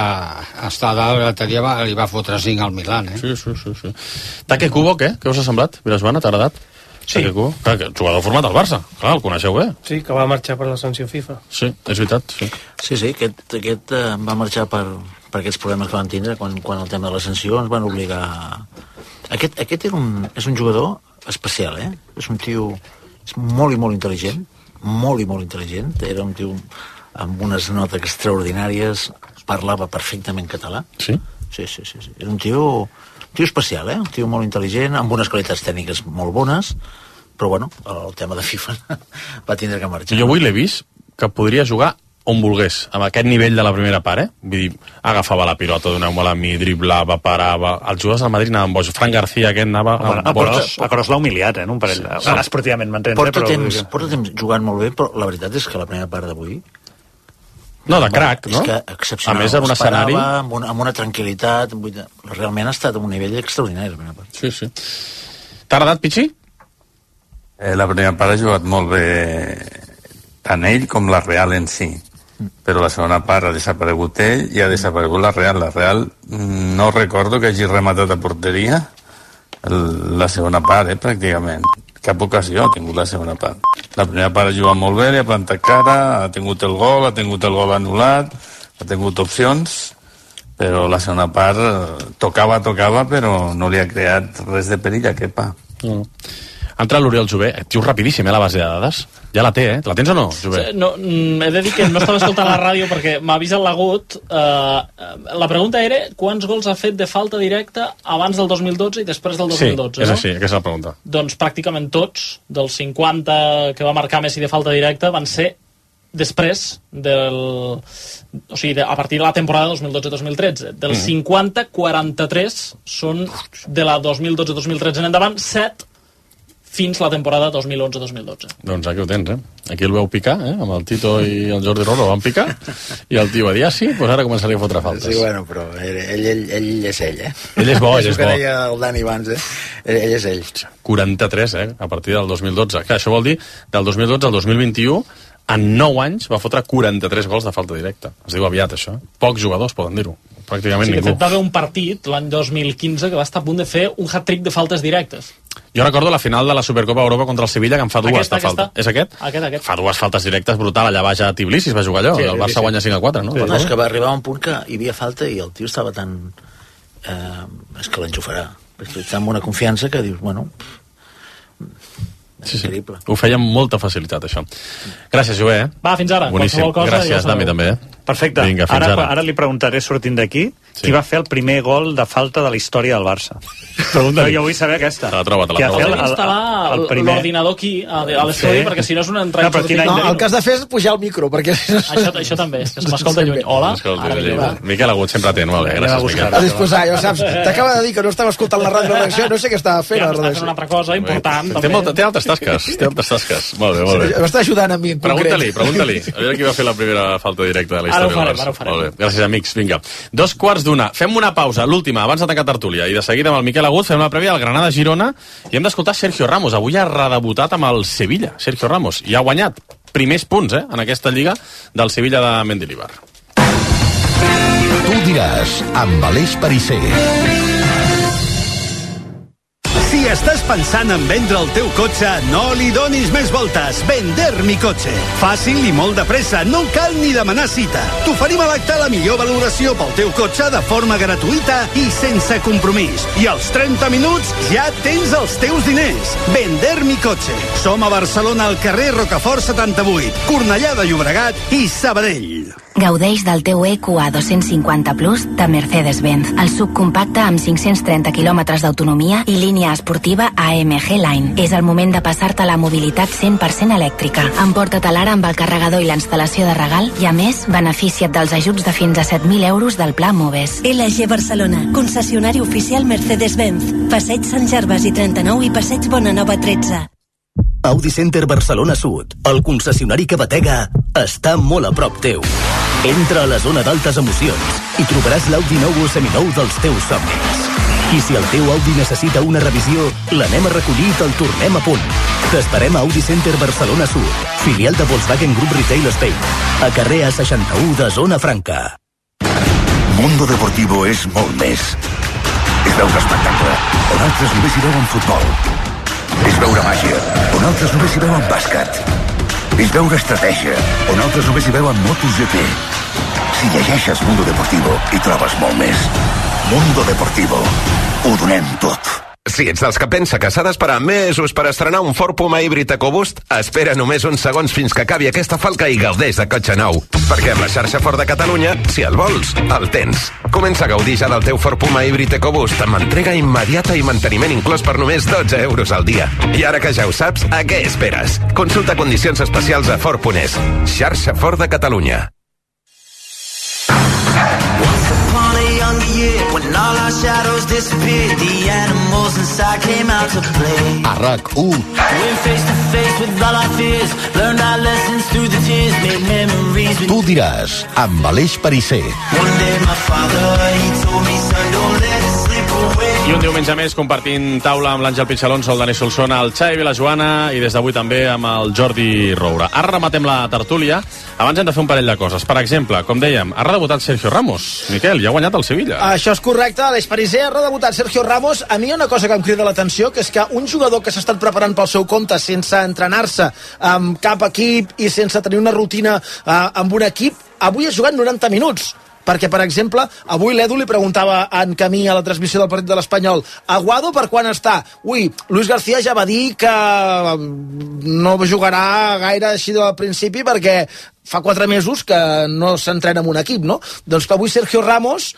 a dalt, l'altre dia li va fotre 5 al Milan, Sí. Taque Cubo, què? Què us ha semblat? Vilasbana, t'ha agradat? Sí. Clar, que jugador format al Barça. Clar, el coneixeu bé. Sí, que va marxar per la sanció FIFA. Sí, és veritat, sí. Sí, aquest va marxar per aquests problemes que van tindre quan el tema de la sanció ens van obligar... Aquest és un jugador especial, És un tio molt i molt intel·ligent, molt i molt intel·ligent. Era un tio amb unes notes extraordinàries, parlava perfectament català. Sí? Sí. Era un tio especial, un tio molt intel·ligent, amb unes qualitats tècniques molt bones, però bueno, el tema de FIFA va tindre que marxar. Jo avui l'he vist que podria jugar on volgués, amb aquest nivell de la primera part, Vull dir, agafava la pilota, donava-me-la a mi, driblava, parava... Els jugadors del Madrid anaven boig. Fran García, aquest anava... A Kroos l'ha humiliat, un parell de... Esportivament, m'entens? Porta temps jugant molt bé, però la veritat és que la primera part d'avui... No, de crac, no? És que excepcional. A més, en un escenari... Amb una tranquil·litat, realment ha estat a un nivell extraordinari, la primera part. Sí. T'ha agradat, Pichi? La primera part ha jugat molt bé tant ell com la Real en si. Però la segona part ha desaparegut ell i ha desaparegut la Real. La Real no recordo que hagi rematat a porteria la segona part, pràcticament. Cap ocasió ha tingut la segona part. La primera part ha jugat molt bé, li ha plantat cara, ha tingut el gol anul·lat, ha tingut opcions, però la segona part tocava, però no li ha creat res de perill a Kepa. Entra l'Oriol Jové, tio rapidíssim, la base de dades. Ja la té, La tens o no, Jové? No, he de dir que no estava escoltant la ràdio perquè m'ha vist el lagut. La pregunta era quants gols ha fet de falta directa abans del 2012 i després del 2012, sí, és així, aquesta és la pregunta. Doncs pràcticament tots, dels 50 que va marcar Messi de falta directa, van ser després o sigui, a partir de la temporada 2012-2013. Dels 50, 43 són de la 2012-2013 en endavant, 7 fins la temporada 2011-2012. Doncs aquí ho tens, Aquí el veu picar, amb el Tito i el Jordi Rolo van picar, i el tio va dir, sí, doncs ara començaria a fotre faltes. Sí, bueno, però ell és ell, Ell és bo, ell és bo. que deia el Dani abans, Ell és ell. 43, a partir del 2012. Clar, això vol dir, del 2012 al 2021, en 9 anys va fotre 43 gols de falta directa. Es diu aviat, això. Pocs jugadors poden dir-ho. Pràcticament ningú. De fet, va haver un partit l'any 2015 que va estar a punt de fer un hat-trick de faltes directes. Jo recordo la final de la Supercopa Europa contra el Sevilla, que en fa dues de falta. És aquest? Aquest. Fa dues faltes directes brutal, allà baix a Tbilisi es va jugar allò, el Barça guanya 5-4, no? No, és que va arribar a un punt que hi havia falta i el tio estava tan... és que l'enxufarà. Està amb una confiança que dius, bueno... Sí. Ho feia amb molta facilitat, això. Gràcies, Jové. Va, fins ara. Boníssim. Gràcies, Dami, també. Perfecte. Vinga, ara li preguntaré, sortint d'aquí, qui va fer el primer gol de falta de la història del Barça. Jo vull saber aquesta. Te la troba. Hem d'instal·lar l'ordinador aquí, a l'estudi, perquè si no és una entrada... El que has de fer és pujar el micro, perquè... Això també, que m'escolta lluny. Hola. Miquel Agut, sempre atent. Molt bé, gràcies, Miquel. A disposar, ja ho saps. T'acaba de dir que no estava escoltant la ràdio de redacció, no sé què estava fent. Estava fent una altra cosa important. Té altres tasques. Molt bé. M'està ajudant a mi, en concret. Pregunta-li. A veure qui va fer la primera falta directa de la història del Barça. Ara ho farem. Molt bé. Gràcies, amics. Vinga. 2:15. Fem una pausa, l'última, abans de tancar tertúlia. I de seguida amb el Miquel Agut fem una prèvia al Granada-Girona i hem d'escoltar Sergio Ramos. Avui ha redebutat amb el Sevilla, Sergio Ramos. I ha guanyat primers punts, en aquesta lliga del Sevilla de Mendilibar. Tu diràs, amb Aleix Pariser. Si estàs pensant en vendre el teu cotxe, no li donis més voltes. Vender mi cotxe. Fàcil i molt de pressa, no cal ni demanar cita. T'oferim a l'acte la millor valoració pel teu cotxe de forma gratuïta i sense compromís. I als 30 minuts ja tens els teus diners. Vender mi cotxe. Som a Barcelona, al carrer Rocafort 78, Cornellà de Llobregat i Sabadell. Gaudeix del teu EQA 250 Plus de Mercedes-Benz, el subcompacte amb 530 quilòmetres d'autonomia i línia esportiva AMG Line. És el moment de passar-te a la mobilitat 100% elèctrica. Emporta-te l'ara amb el carregador i la instal·lació de regal i, a més, beneficia't dels ajuts de fins a 7.000 euros del Pla Moves. LG Barcelona, concessionari oficial Mercedes-Benz. Passeig Sant Gervasi i 39 i Passeig Bonanova 13. Audi Center Barcelona Sud, el concessionari que batega, està molt a prop teu. Entra a la zona d'altes emocions i trobaràs l'Audi nou o seminou dels teus somnis. I si el teu Audi necessita una revisió, l'anem a recollir i te'l tornem a punt. T'esperem a Audi Center Barcelona Sud, filial de Volkswagen Group Retail Spain, a carrer A61 de Zona Franca. Mundo Deportivo és molt més. És veure espectacle, on altres només hi veuen futbol. És veure màgia, on altres només hi veuen bàsquet. És veure estratègia, on altres només hi veuen MotoGP. Si llegeixes Mundo Deportivo, hi trobes molt més. Mundo Deportivo. Ho donem tot. Si ets dels que pensa que s'ha d'esperar mesos per estrenar un Ford Puma híbrid EcoBoost, espera només uns segons fins que acabi aquesta falca i gaudeix de cotxe nou. Perquè amb la xarxa Ford de Catalunya, si el vols, el tens. Comença a gaudir ja del teu Ford Puma híbrid EcoBoost amb entrega immediata i manteniment inclòs per només 12 euros al dia. I ara que ja ho saps, a què esperes? Consulta condicions especials a Ford.es. Xarxa Ford de Catalunya. A RAC1 Tu diràs, amb Aleix Perisser. I un diumenge més compartint taula amb l'Àngel Pichalonso, el Dani Solsona, el Xavi Vilajoana i des d'avui també amb el Jordi Roura. Ara rematem la tertúlia. Abans hem de fer un parell de coses. Per exemple, com dèiem, ha redebutat Sergio Ramos. Miquel, ja ha guanyat el Sevilla. Això és correcte, Aleix Perisser ha redebutat Sergio Ramos. A mi hi ha una cosa que em crida l'atenció, que és que un jugador que s'ha estat preparant pel seu compte sense entrenar-se amb cap equip i sense tenir una rutina amb un equip, avui ha jugat 90 minuts. Perquè, per exemple, avui l'Edu li preguntava a en Camí a la transmissió del partit de l'Espanyol, Aguado per quan està? Ui, Luis García ja va dir que no jugarà gaire així del principi perquè fa 4 mesos que no s'entrena en un equip, no? Doncs que avui Sergio Ramos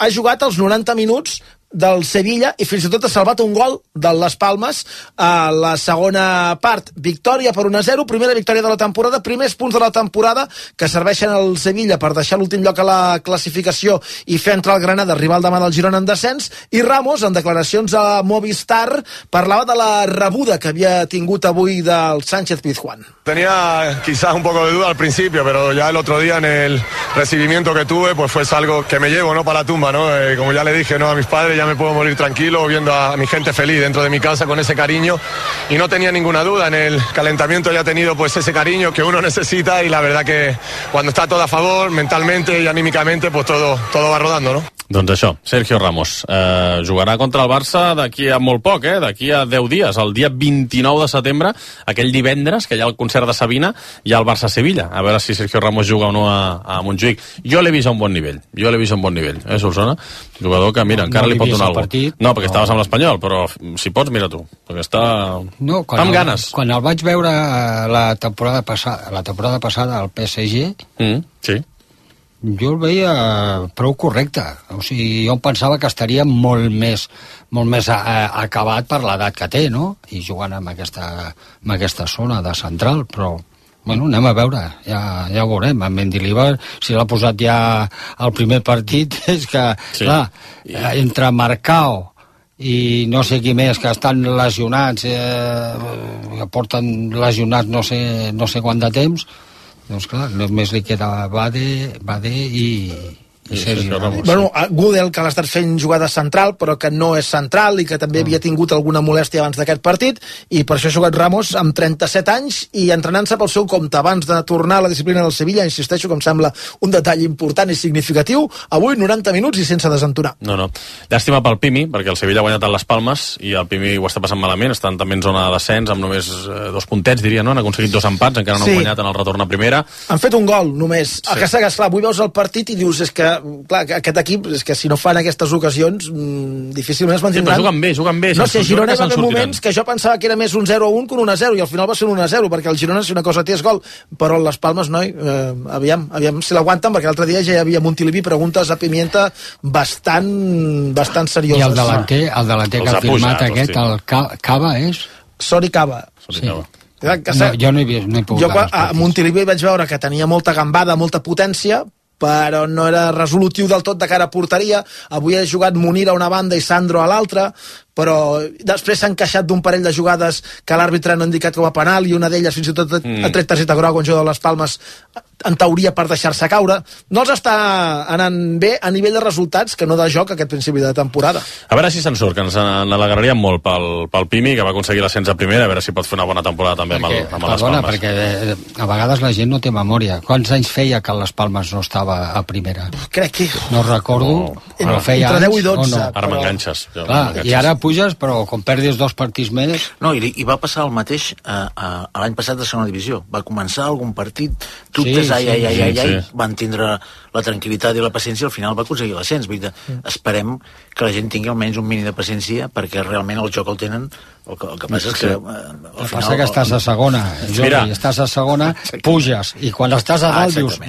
ha jugat els 90 minuts del Sevilla i fins i tot ha salvat un gol de Las Palmes a la segona part. Victòria per 1-0, primera victòria de la temporada, primers punts de la temporada que serveixen al Sevilla per deixar l'últim lloc a la classificació i fer entrar el Granada, rival demà del Girona en descens. I Ramos, en declaracions a Movistar, parlava de la rebuda que havia tingut avui del Sánchez Pizjuán. Tenía quizás un poco de duda al principio, pero ya el otro día en el recibimiento que tuve, pues fue algo que me llevo, ¿no?, para la tumba, ¿no? Como ya le dije, ¿no?, a mis padres, ya me puedo morir tranquilo viendo a mi gente feliz dentro de mi casa con ese cariño, y no tenía ninguna duda. En el calentamiento ya he tenido pues ese cariño que uno necesita, y la verdad que cuando está todo a favor, mentalmente y anímicamente, pues todo va rodando, ¿no? Doncs això, Sergio Ramos jugarà contra el Barça d'aquí a molt poc, d'aquí a 10 dies, el dia 29 de setembre, aquell divendres que hi ha el concert de Sabina, hi ha el Barça-Sevilla, a veure si Sergio Ramos juga o no a Montjuïc. Jo l'he vist a un bon nivell, Solsona? Jugador que, mira, encara li pot donar alguna cosa. No, perquè estaves amb l'Espanyol, però si pots, mira tu, perquè està amb ganes. Quan el vaig veure la temporada passada al PSG, sí, jo el veia prou correcte. O sigui, jo pensava que estaria molt més acabat per l'edat que té, no? I jugant amb aquesta zona de central, però bueno, anem a veure, ja ho veurem. En Mendilibar, si l'ha posat ja al primer partit, és que, clar, entre Marcao i no sé qui més que estan lesionats, que porten lesionats no sé quant de temps, doncs clar, només li queda Bade i Sergio Ramos. Bueno, Gudel, que l'ha estat fent jugada central, però que no és central i que també havia tingut alguna molèstia abans d'aquest partit, i per això ha jugat Ramos amb 37 anys i entrenant-se pel seu compte abans de tornar a la disciplina del Sevilla. Insisteixo que em sembla un detall important i significatiu. Avui 90 minuts i sense desentonar. No. Llàstima pel Pimi, perquè el Sevilla ha guanyat a les Palmes i el Pimi ho està passant malament, estan també en zona de descens amb només 2 puntets, diria, no? Han aconseguit 2 empats, encara no han guanyat en el retorn a primera. Han fet un gol només. El que és clar, avui veus el partit i dius, és que clar, aquest equip, és que si no fan aquestes ocasions difícilment es mantindran. Sí, però juguen bé. No sé, Girona va haver moments que jo pensava que era més un 0-1 que un 1-0 i al final va ser un 1-0, perquè el Girona, si una cosa té, és gol, però les Palmes, noi, aviam si l'aguanten, perquè l'altre dia ja hi havia Montilivi preguntes a Pimienta bastant serioses. I el delanter que ha firmat aquest, el Cava, és? Sori Cava. Sí. Jo no he pogut. Jo a Montilivi vaig veure que tenia molta gambada, molta potència, però no era resolutiu del tot de cara a porteria. Avui ha jugat Munir a una banda i Sandro a l'altra, però després s'ha encaixat d'un parell de jugades que l'àrbitre no ha indicat com a penal, i una d'elles fins i tot ha tret targeta groga, un jugador de les Palmes, en teoria per deixar-se caure. No els està anant bé a nivell de resultats, que no de joc aquest principi de temporada. A veure si se'n surt, que ens alegraríem molt pel Pimi, que va aconseguir l'ascens a primera, a veure si pot fer una bona temporada també amb les Palmes. Perquè a vegades la gent no té memòria. Quants anys feia que les Palmes no estava a primera? Crec que... No recordo, però feia entre 10 i 12. Ara m'enganxes. I ara puges, però quan perdis 2 partits més... No, i va passar el mateix l'any passat de segona divisió. Va començar algun partit, dubtes, van tindre la tranquil·litat i la paciència, al final va aconseguir l'ascens. Esperem que la gent tingui almenys un mínim de paciència, perquè realment el joc el tenen. El que passa és que... El que passa que estàs a segona, Jordi, estàs a segona, puges, i quan estàs a dalt dius,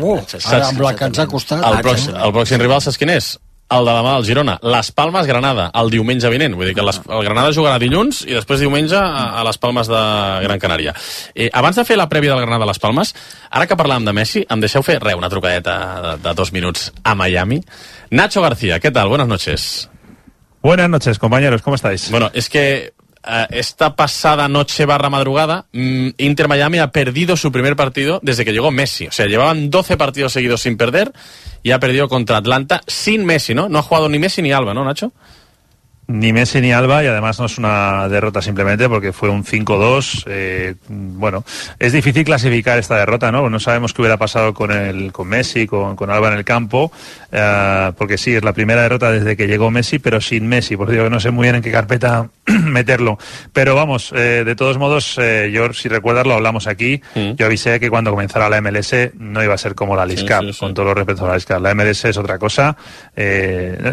ara amb la que ens ha costat... El pròxim rival saps quin és? El de demà, el Girona. Les Palmes, Granada, el diumenge vinent. Vull dir que el Granada jugarà dilluns i després diumenge a les Palmes de Gran Canària. Abans de fer la prèvia del Granada a les Palmes, ara que parlàvem de Messi, em deixeu fer una trucadeta de 2 minuts a Miami. Nacho García, ¿qué tal? Buenas noches. Buenas noches, compañeros, ¿cómo estáis? Bueno, es que esta pasada noche / madrugada, Inter Miami ha perdido su primer partido desde que llegó Messi. O sea, llevaban 12 partidos seguidos sin perder y ha perdido contra Atlanta sin Messi, ¿no? No ha jugado ni Messi ni Alba, ¿no, Nacho? Ni Messi ni Alba, y además no es una derrota simplemente porque fue un 5-2. Bueno, es difícil clasificar esta derrota, ¿no? No sabemos qué hubiera pasado con Messi, con Alba en el campo, porque sí, es la primera derrota desde que llegó Messi, pero sin Messi, por eso no sé muy bien en qué carpeta meterlo. Pero vamos, de todos modos, yo, si recuerdas, lo hablamos aquí, yo avisé que cuando comenzara la MLS no iba a ser como la Leagues Cup, con todos los respetos a la Leagues Cup. La MLS es otra cosa.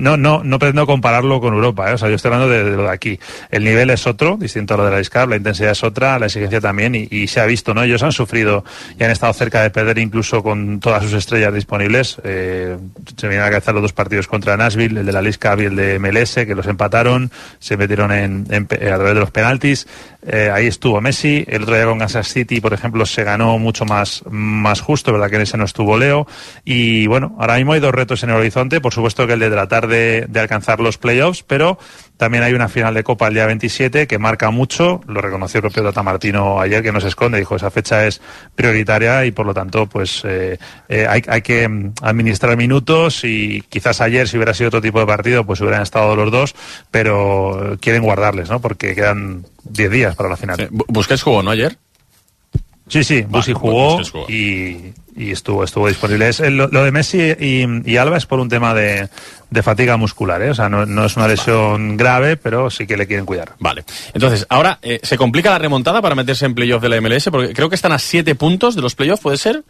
No pretendo compararlo con Europa, O sea, yo estoy hablando de lo de aquí. El nivel es otro, distinto a lo de la Leagues Cup, la intensidad es otra, la exigencia también, y se ha visto, ¿no? Ellos han sufrido y han estado cerca de perder incluso con todas sus estrellas disponibles. Se vienen a cabeza los 2 partidos contra Nashville, el de la Leagues Cup y el de MLS, que los empataron, se metieron a través de los penaltis. Ahí estuvo Messi. El otro día con Kansas City, por ejemplo, se ganó mucho más justo, verdad que en ese no estuvo Leo. Y bueno, ahora mismo hay 2 retos en el horizonte, por supuesto que el de tratar de alcanzar los playoffs, pero también hay una final de Copa el día 27 que marca mucho, lo reconoció el propio Tata Martino ayer, que no se esconde, dijo esa fecha es prioritaria y por lo tanto pues hay que administrar minutos, y quizás ayer, si hubiera sido otro tipo de partido, pues hubieran estado los 2, pero quieren guardarles, ¿no? Porque quedan 10 días para la final. Busquets jugó, ¿no, ayer? Sí, Bussi jugó y estuvo disponible. Lo de Messi y Alba es por un tema de fatiga muscular, O sea, no es una lesión grave, pero sí que le quieren cuidar. Vale. Entonces, ahora, ¿se complica la remontada para meterse en playoff de la MLS? Porque creo que están a 7 puntos de los playoffs, ¿puede ser?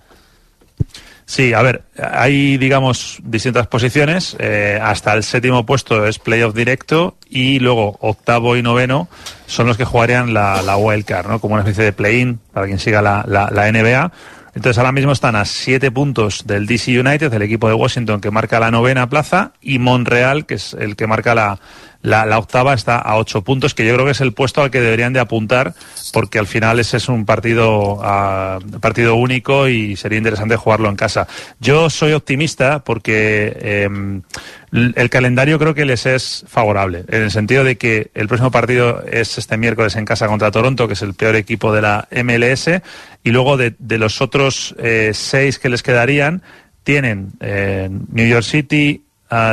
Sí, a ver, hay, digamos, distintas posiciones. Hasta el 7º puesto es playoff directo, y luego 8º y 9º son los que jugarían la wildcard, ¿no? Como una especie de play-in para quien siga la NBA. Entonces ahora mismo están a 7 puntos del DC United, el equipo de Washington, que marca la 9ª plaza, y Montreal, que es el que marca la 8ª, está a 8 puntos, que yo creo que es el puesto al que deberían de apuntar, porque al final ese es un partido único y sería interesante jugarlo en casa. Yo soy optimista porque el calendario creo que les es favorable, en el sentido de que el próximo partido es este miércoles en casa contra Toronto, que es el peor equipo de la MLS, y luego de los otros 6 que les quedarían, tienen New York City,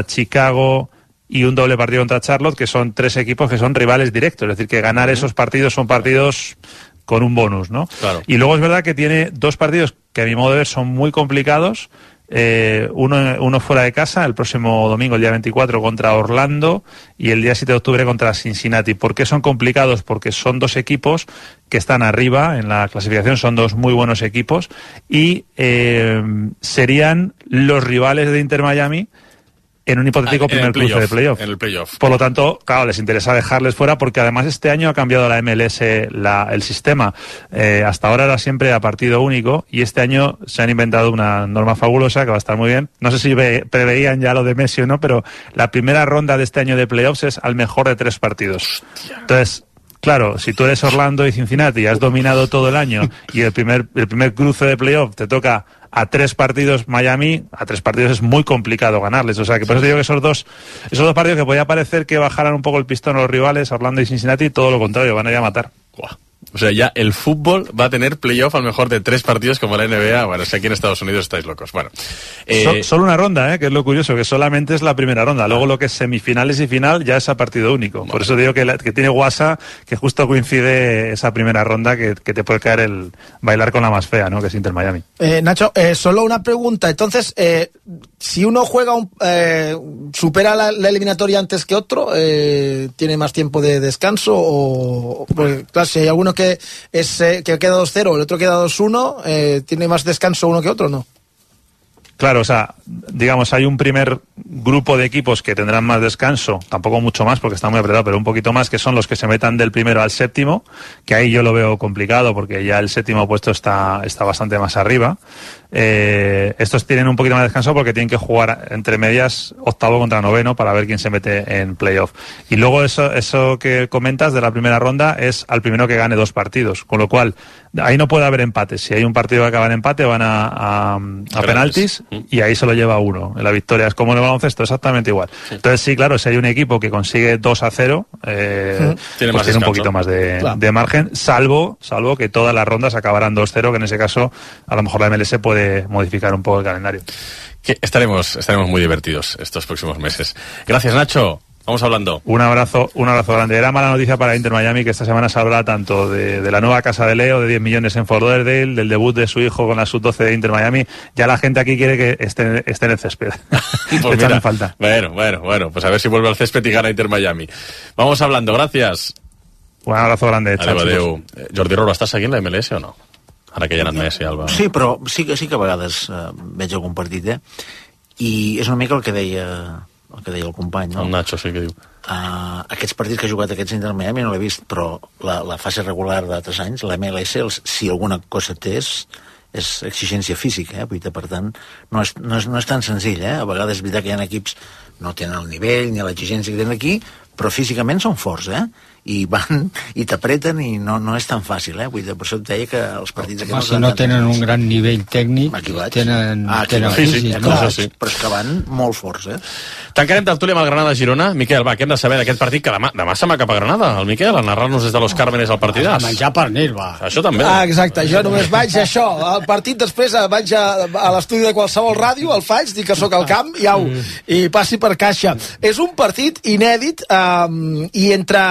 Chicago y un doble partido contra Charlotte, que son 3 equipos que son rivales directos, es decir, que ganar esos partidos son partidos con un bonus, ¿no? Claro. Y luego es verdad que tiene 2 partidos que a mi modo de ver son muy complicados, uno fuera de casa, el próximo domingo, el día 24, contra Orlando, y el día 7 de octubre contra Cincinnati. ¿Por qué son complicados? Porque son 2 equipos que están arriba en la clasificación, son 2 muy buenos equipos, y serían los rivales de Inter Miami en un hipotético primer cruce de playoff. En el playoff. Por lo tanto, claro, les interesa dejarles fuera, porque además este año ha cambiado la MLS el sistema. Hasta ahora era siempre a partido único, y este año se han inventado una norma fabulosa que va a estar muy bien. No sé si preveían ya lo de Messi o no, pero la primera ronda de este año de playoffs es al mejor de 3 partidos. Entonces, claro, si tú eres Orlando y Cincinnati y has dominado todo el año, y el primer cruce de playoff te toca a 3 partidos Miami, a 3 partidos es muy complicado ganarles. O sea, que por eso te digo que esos dos partidos que podía parecer que bajaran un poco el pistón a los rivales, Orlando y Cincinnati, todo lo contrario, van a ir a matar. O sea, ya el fútbol va a tener playoff al mejor de 3 partidos como la NBA. Bueno, si aquí en Estados Unidos estáis locos. Bueno, solo una ronda, que es lo curioso, que solamente es la primera ronda. Luego lo que es semifinales y final ya es a partido único. Por eso digo que tiene guasa, que justo coincide esa primera ronda que te puede caer el bailar con la más fea, ¿no? Que es Inter Miami. Nacho, solo una pregunta. Entonces, si uno juega supera la eliminatoria antes que otro, ¿tiene más tiempo de descanso? O porque, claro, si hay alguno que queda 2-0, el otro queda 2-1, ¿tiene más descanso uno que otro o no? Claro, o sea, digamos, hay un primer grupo de equipos que tendrán más descanso, tampoco mucho más porque está muy apretado, pero un poquito más, que son los que se metan del primero al séptimo, que ahí yo lo veo complicado porque ya el séptimo puesto está bastante más arriba. Estos tienen un poquito más de descanso porque tienen que jugar entre medias octavo contra noveno para ver quién se mete en playoff. Y luego eso que comentas de la primera ronda es al primero que gane 2 partidos, con lo cual ahí no puede haber empates. Si hay un partido que acaba en empate van a penaltis y ahí se lo lleva uno. La victoria es como en el baloncesto, exactamente igual. Sí. Entonces sí, claro, si hay un equipo que consigue 2-0, tiene un poquito más de margen, salvo que todas las rondas acabarán 2-0, que en ese caso a lo mejor la MLS puede modificar un poco el calendario. Que estaremos muy divertidos estos próximos meses. Gracias, Nacho. Vamos hablando. Un abrazo grande. Era mala noticia para Inter Miami que esta semana se habla tanto de la nueva casa de Leo, de 10 millones en Fort Lauderdale, del debut de su hijo con la sub-12 de Inter Miami. Ya la gente aquí quiere que esté en el césped. Pues mira, falta. Bueno, pues a ver si vuelve al césped y gana Inter Miami. Vamos hablando, gracias. Un abrazo grande. Adéu. Jordi Roura, estàs seguint la MLS o no? Ara que hi ha anat Messi, Alba. Sí, però sí que a vegades veig algun partit, i és una mica el que deia el company, no? El Nacho, sí que diu. Aquests partits que ha jugat aquests Inter Miami no l'he vist, però la fase regular d'altres anys, la MLS, si alguna cosa té és exigència física, per tant no és tan senzill, a vegades és veritat que hi ha equips no tenen el nivell ni l'exigència que tenen aquí, però físicament són forts, i van i t'apreten i no és tan fàcil, per això et deia que els partits aquests no tenen un gran nivell tècnic, tenen físic, però és que van molt forts. Tancarem tertúlia amb el Granada-Girona. Miquel, va, què hem de saber d'aquest partit que demà se'n va cap a Granada, el Miquel, a narrar-nos des de Los Cármenes el partidàs. A menjar pernil, va. Això també. Exacte, jo només vaig això, el partit després vaig a l'estudi de qualsevol ràdio, el faig, dic que sóc al camp i passi per caixa. És un partit inèdit i entre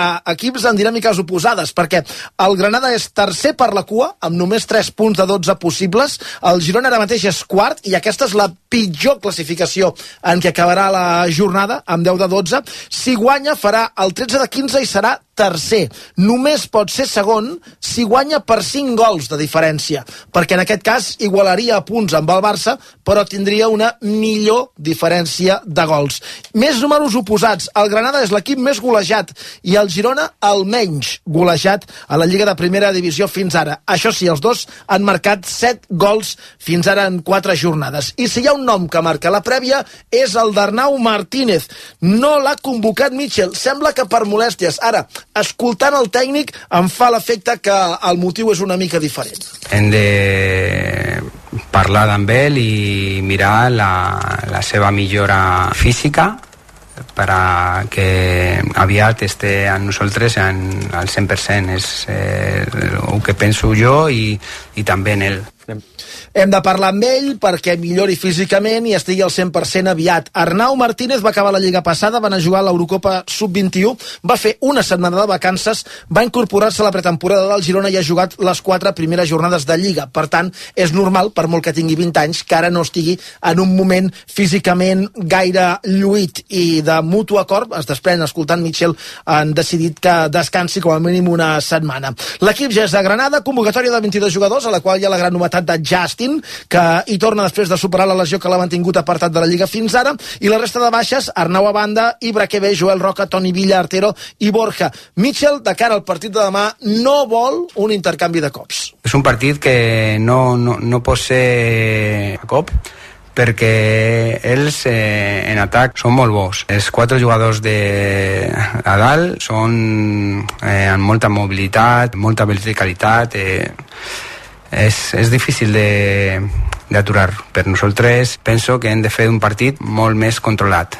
equips en dinàmiques oposades, perquè el Granada és tercer per la cua, amb només 3 punts de 12 possibles, el Girona ara mateix és quart, i aquesta és la pitjor classificació en què acabarà la jornada, amb 10 de 12. Si guanya farà el 13 de 15 i serà tercer. Només pot ser segon si guanya per 5 gols de diferència, perquè en aquest cas igualaria a punts amb el Barça, però tindria una millor diferència de gols. Més números oposats. El Granada és l'equip més golejat i el Girona el menys golejat a la Lliga de Primera Divisió fins ara. Això sí, els dos han marcat 7 gols fins ara en 4 jornades. I si hi ha un nom que marca la prèvia és el d'Arnau Martínez. No l'ha convocat Mitchell. Sembla que per molèsties. Ara, escoltant el tècnic em fa l'efecte que el motiu és una mica diferent. Hem de parlar amb ell i mirar la seva millora física perquè aviat esté amb nosaltres al 100%. És el que penso jo i també en ell. Hem de parlar amb ell perquè millori físicament i estigui al 100% aviat. Arnau Martínez va acabar la Lliga passada, va anar a jugar a l'Eurocopa Sub-21, va fer una setmana de vacances, va incorporar-se a la pretemporada del Girona i ha jugat les 4 primeres jornades de Lliga. Per tant, és normal, per molt que tingui 20 anys, que ara no estigui en un moment físicament gaire lluït, i de mutu acord, es desprèn escoltant Mitchell, han decidit que descansi com a mínim una setmana. L'equip ja és de Granada, convocatòria de 22 jugadors, a la qual hi ha la gran novetat de Justin, que hi torna després de superar la lesió que l'ha mantingut apartat de la Lliga fins ara, i la resta de baixes, Arnau a banda, Ibraquebe, Joel Roca, Toni Villa, Artero i Borja. Mitchell, de cara al partit de demà, no vol un intercanvi de cops. És un partit que no pot ser a cop, perquè ells en atac són molt bons. Els 4 jugadors a dalt són amb molta mobilitat, molta verticalitat. És difícil d'aturar. Per nosaltres penso que hem de fer un partit molt més controlat.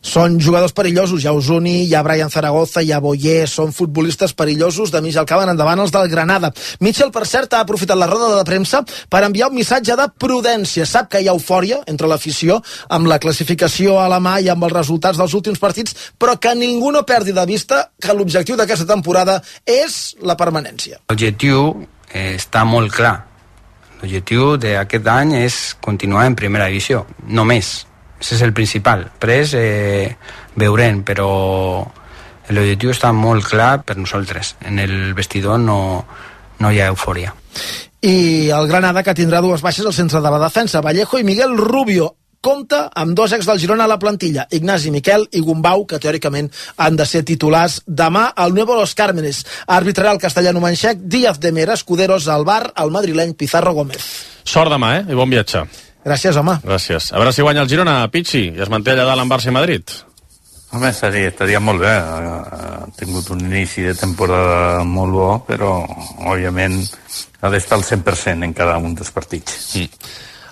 Són jugadors perillosos, hi ha Osuni, hi ha Brian Zaragoza, hi ha Boyer, són futbolistes perillosos, de mig al camp endavant els del Granada. Mitchell, per cert, ha aprofitat la roda de premsa per enviar un missatge de prudència. Sap que hi ha eufòria entre l'afició amb la classificació a la mà i amb els resultats dels últims partits, però que ningú no perdi de vista que l'objectiu d'aquesta temporada és la permanència. L'objectiu està molt clar. L'objectiu d'aquest any és continuar en primera divisió, no més. Ese és el principal. Després veurem, però l'objectiu està molt clar per nosaltres. En el vestidor no hi ha eufòria. I el Granada, que tindrà dues baixes al centre de la defensa, Vallejo i Miguel Rubio. Compta amb dos ex del Girona a la plantilla, Ignasi Miquel i Gumbau, que teòricament han de ser titulars demà al Nuevo Los Cármenes. Arbitrarà el castellano manxec Díaz de Mera, Escuderos al bar, el madrileny Pizarro Gómez. Sort demà, I bon viatge. Gràcies, home. Gràcies. A veure si guanya el Girona, Pichi, i es manté allà dalt en Barça i Madrid. Home, estaria molt bé. Ha tingut un inici de temporada molt bo, però, òbviament, ha d'estar al 100% en cada un dels partits.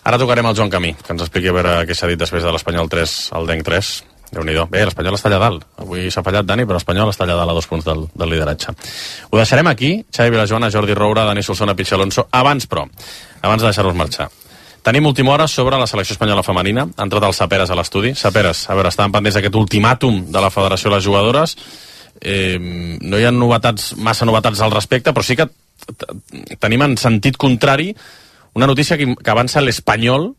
Ara tocarem al Joan Camí, que ens expliqui a veure què s'ha dit després de l'Espanyol 3 al Denc 3. Déu-n'hi-do. Bé, l'Espanyol està allà dalt. Avui s'ha fallat, Dani, però l'Espanyol està allà dalt a 2 punts del lideratge. Ho deixarem aquí. Xavi Vilajoana, Jordi Roura, Dani Solsona, Pichi Alonso. Abans de deixar-los marxar. Tenim última hora sobre la selecció espanyola femenina. Ha entrat el Saperes a l'estudi. Saperes, a veure, estàvem pendents d'aquest ultimàtum de la Federació de les Jugadores. No hi ha massa novetats al respecte, però sí que tenim en sentit contrari una notícia que avança l'Espanyol,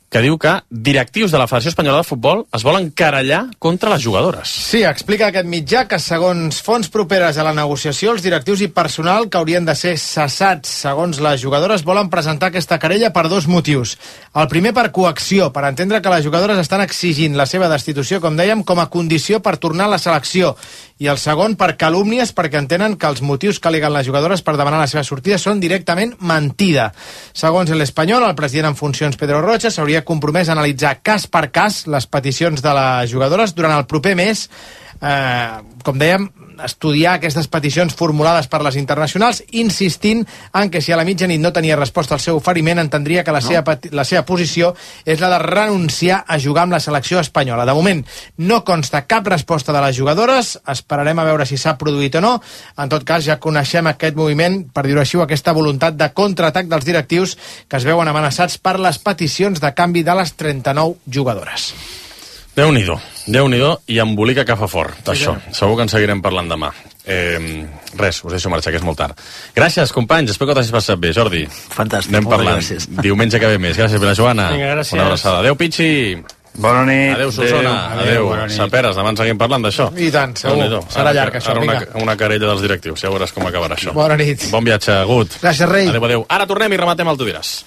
que diu que directius de la Federació Espanyola de Futbol es volen querellar contra les jugadores. Sí, explica aquest mitjà que segons fonts properes a la negociació, els directius i personal que haurien de ser cessats segons les jugadores volen presentar aquesta querella per 2 motius. El primer per coacció, per entendre que les jugadores estan exigint la seva destitució, com dèiem, com a condició per tornar a la selecció. I el segon per calúmnies, perquè entenen que els motius que aleguen les jugadores per demanar la seva sortida són directament mentida. Segons l'Espanyol, el president en funcions Pedro Rocha s'hauria compromès a analitzar cas per cas les peticions de les jugadores durant el proper mes, com dèiem, estudiar aquestes peticions formulades per les internacionals, insistint en que si a la mitjanit no tenia resposta al seu oferiment, entendria que la seva posició és la de renunciar a jugar amb la selecció espanyola. De moment no consta cap resposta de les jugadores, esperarem a veure si s'ha produït o no. En tot cas, ja coneixem aquest moviment, per dir-ho així, aquesta voluntat de contraatac dels directius que es veuen amenaçats per les peticions de canvi de les 39 jugadores. Déu-n'hi-do, i embolica que fa fort, d'això. Segur que en seguirem parlant demà. Res, us deixo marxar, que és molt tard. Gràcies, companys, espero que t'hagis passat bé, Jordi. Fantàstic, anem parlant. Gràcies. Diumenge que ve més. Gràcies, Vilajoana. Vinga, gràcies. Una abraçada. Adéu, Pichi. Bona nit. Adéu, Solsona. Adéu. Saperes, demà en seguim parlant d'això. I tant, segur. Serà llarg, això. Ara una querella dels directius, ja veuràs com acabarà això. Bona nit. Bon viatge, Gut. Gràcies, rei. Adéu. Ara tornem i rematem el Tu diràs.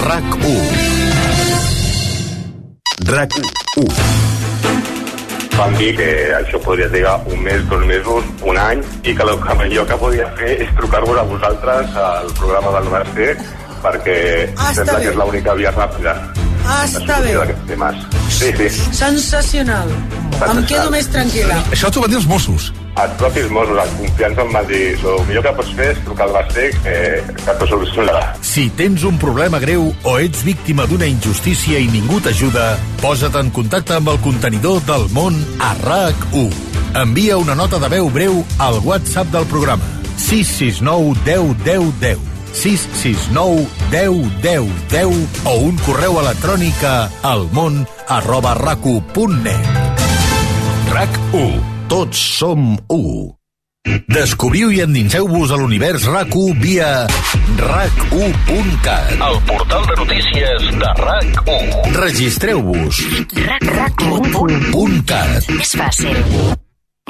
RAC1. RAC1. Vam dir que això podria trigar 1 mes, 2 mesos, 1 any, i que el millor que podia fer és trucar-vos a vosaltres al programa del Mercè, perquè sembla que és l'única via ràpida. Està bé. Sí. Sensacional. Em quedo més tranquil·la. Això t'ho van dir els Mossos. Els propis Mossos, en confiança, em van dir el millor que pots fer és trucar al Mercè, que t'ho solucionarà. Si tens un problema greu o ets víctima d'una injustícia i ningú t'ajuda, posa't en contacte amb el contenidor del món a RAC1. Envia una nota de veu breu al WhatsApp del programa 669 10 10 10. 669 10 10 10 o un correu electrònic a almon@rac1.net. RAC1. Tots som 1. Descobriu i endinseu-vos a l'univers RAC1 via rac1.cat, el portal de notícies de RAC1. Registreu-vos. RAC1.cat. És fàcil.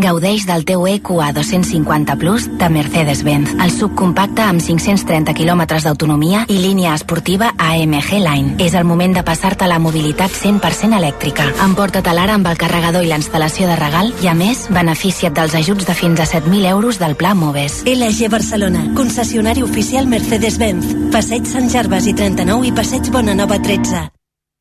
Gaudeix del teu EQA 250 Plus de Mercedes-Benz, el subcompacte amb 530 km d'autonomia i línia esportiva AMG Line. És el moment de passar-te a la mobilitat 100% elèctrica. Emporta-te l'ara amb el carregador i la instal·lació de regal i, a més, beneficia't dels ajuts de fins a 7.000 euros del Pla Moves. LG Barcelona, concessionari oficial Mercedes-Benz. Passeig Sant Gervasi 39 i Passeig Bonanova 13.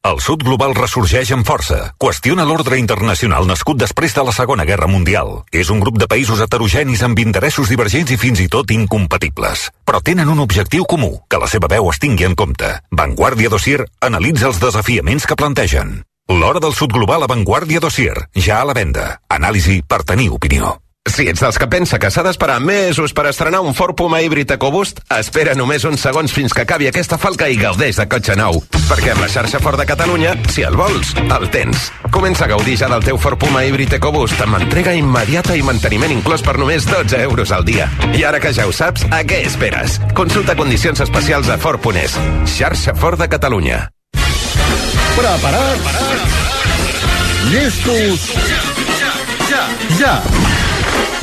El sud global ressorgeix amb força. Qüestiona l'ordre internacional nascut després de la Segona Guerra Mundial. És un grup de països heterogenis amb interessos divergents i fins i tot incompatibles. Però tenen un objectiu comú, que la seva veu es tingui en compte. Vanguardia Dossier analitza els desafiaments que plantegen. L'hora del sud global a Vanguardia Dossier, ja a la venda. Anàlisi per tenir opinió. Si ets dels que pensa que s'ha d'esperar mesos per estrenar un Ford Puma híbrid EcoBoost, espera només uns segons fins que acabi aquesta falca i gaudeix de cotxe nou. Perquè amb la xarxa Ford de Catalunya, si el vols, el tens. Comença a gaudir ja del teu Ford Puma híbrid EcoBoost amb entrega immediata i manteniment inclòs per només 12 euros al dia. I ara que ja ho saps, a què esperes? Consulta condicions especials a Ford.es. Xarxa Ford de Catalunya. Preparats? Llestos? Ja!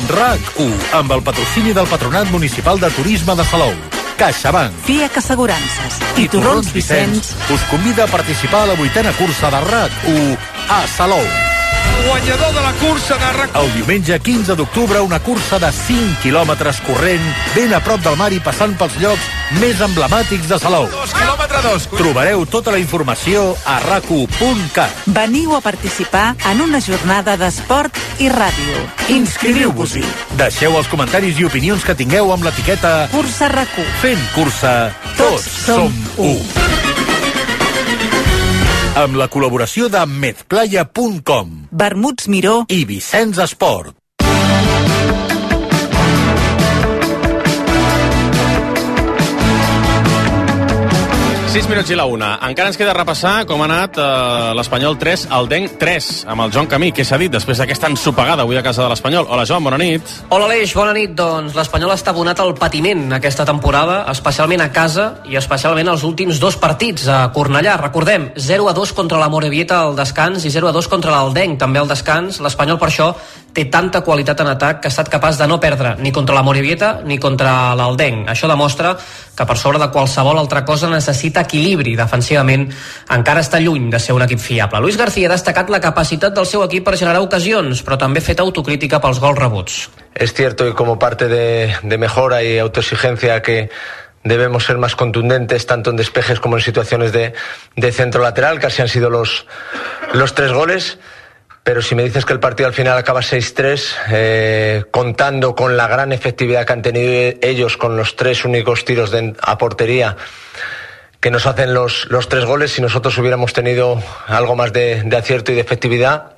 RAC1, amb el patrocini del Patronat Municipal de Turisme de Salou, CaixaBank, FIAC Assegurances i Torrons Vicenç us convida a participar a la 8a cursa de RAC1 a Salou. Guanyador de la cursa de RAC1. El diumenge 15 d'octubre, una cursa de 5 quilòmetres corrent, ben a prop del mar i passant pels llocs més emblemàtics de Salou. 2 quilòmetres 2. Trobareu tota la informació a rac1.cat. Veniu a participar en una jornada d'esport i ràdio. Inscriviu-vos-hi. Deixeu els comentaris i opinions que tingueu amb l'etiqueta Cursa RAC1. Fent cursa, tots som u. Amb la col·laboració de medplaya.com, Vermuts Miró i Vicenç Esport. 6 minuts i la 1. Encara ens queda repassar com ha anat l'Espanyol 3, el Denc 3, amb el Joan Camí, que s'ha dit després d'aquesta ensopegada avui a casa de l'Espanyol. Hola, Joan, bona nit. Hola, Aleix, bona nit. Doncs l'Espanyol està abonat al patiment aquesta temporada, especialment a casa i especialment els últims 2 partits a Cornellà. Recordem, 0-2 contra la Morevieta al descans i 0-2 contra l'Aldenc també al descans. L'Espanyol, per això, té tanta qualitat en atac que ha estat capaç de no perdre ni contra la Morevieta ni contra l'Aldenc. Això demostra que per sobre de qualsevol altra cosa necessita equilibri. Defensivament encara està lluny de ser un equip fiable. Luis García ha destacat la capacitat del seu equip per generar ocasions, però també ha fet autocrítica pels gols rebuts. Es cierto que como parte de mejora y autoexigencia que debemos ser más contundentes tanto en despejes como en situaciones de centro lateral, que así han sido los 3 goles. Pero si me dices que el partido al final acaba 6-3, contando con la gran efectividad que han tenido ellos con los 3 únicos tiros a portería que nos hacen los 3 goles, si nosotros hubiéramos tenido algo más de acierto y de efectividad,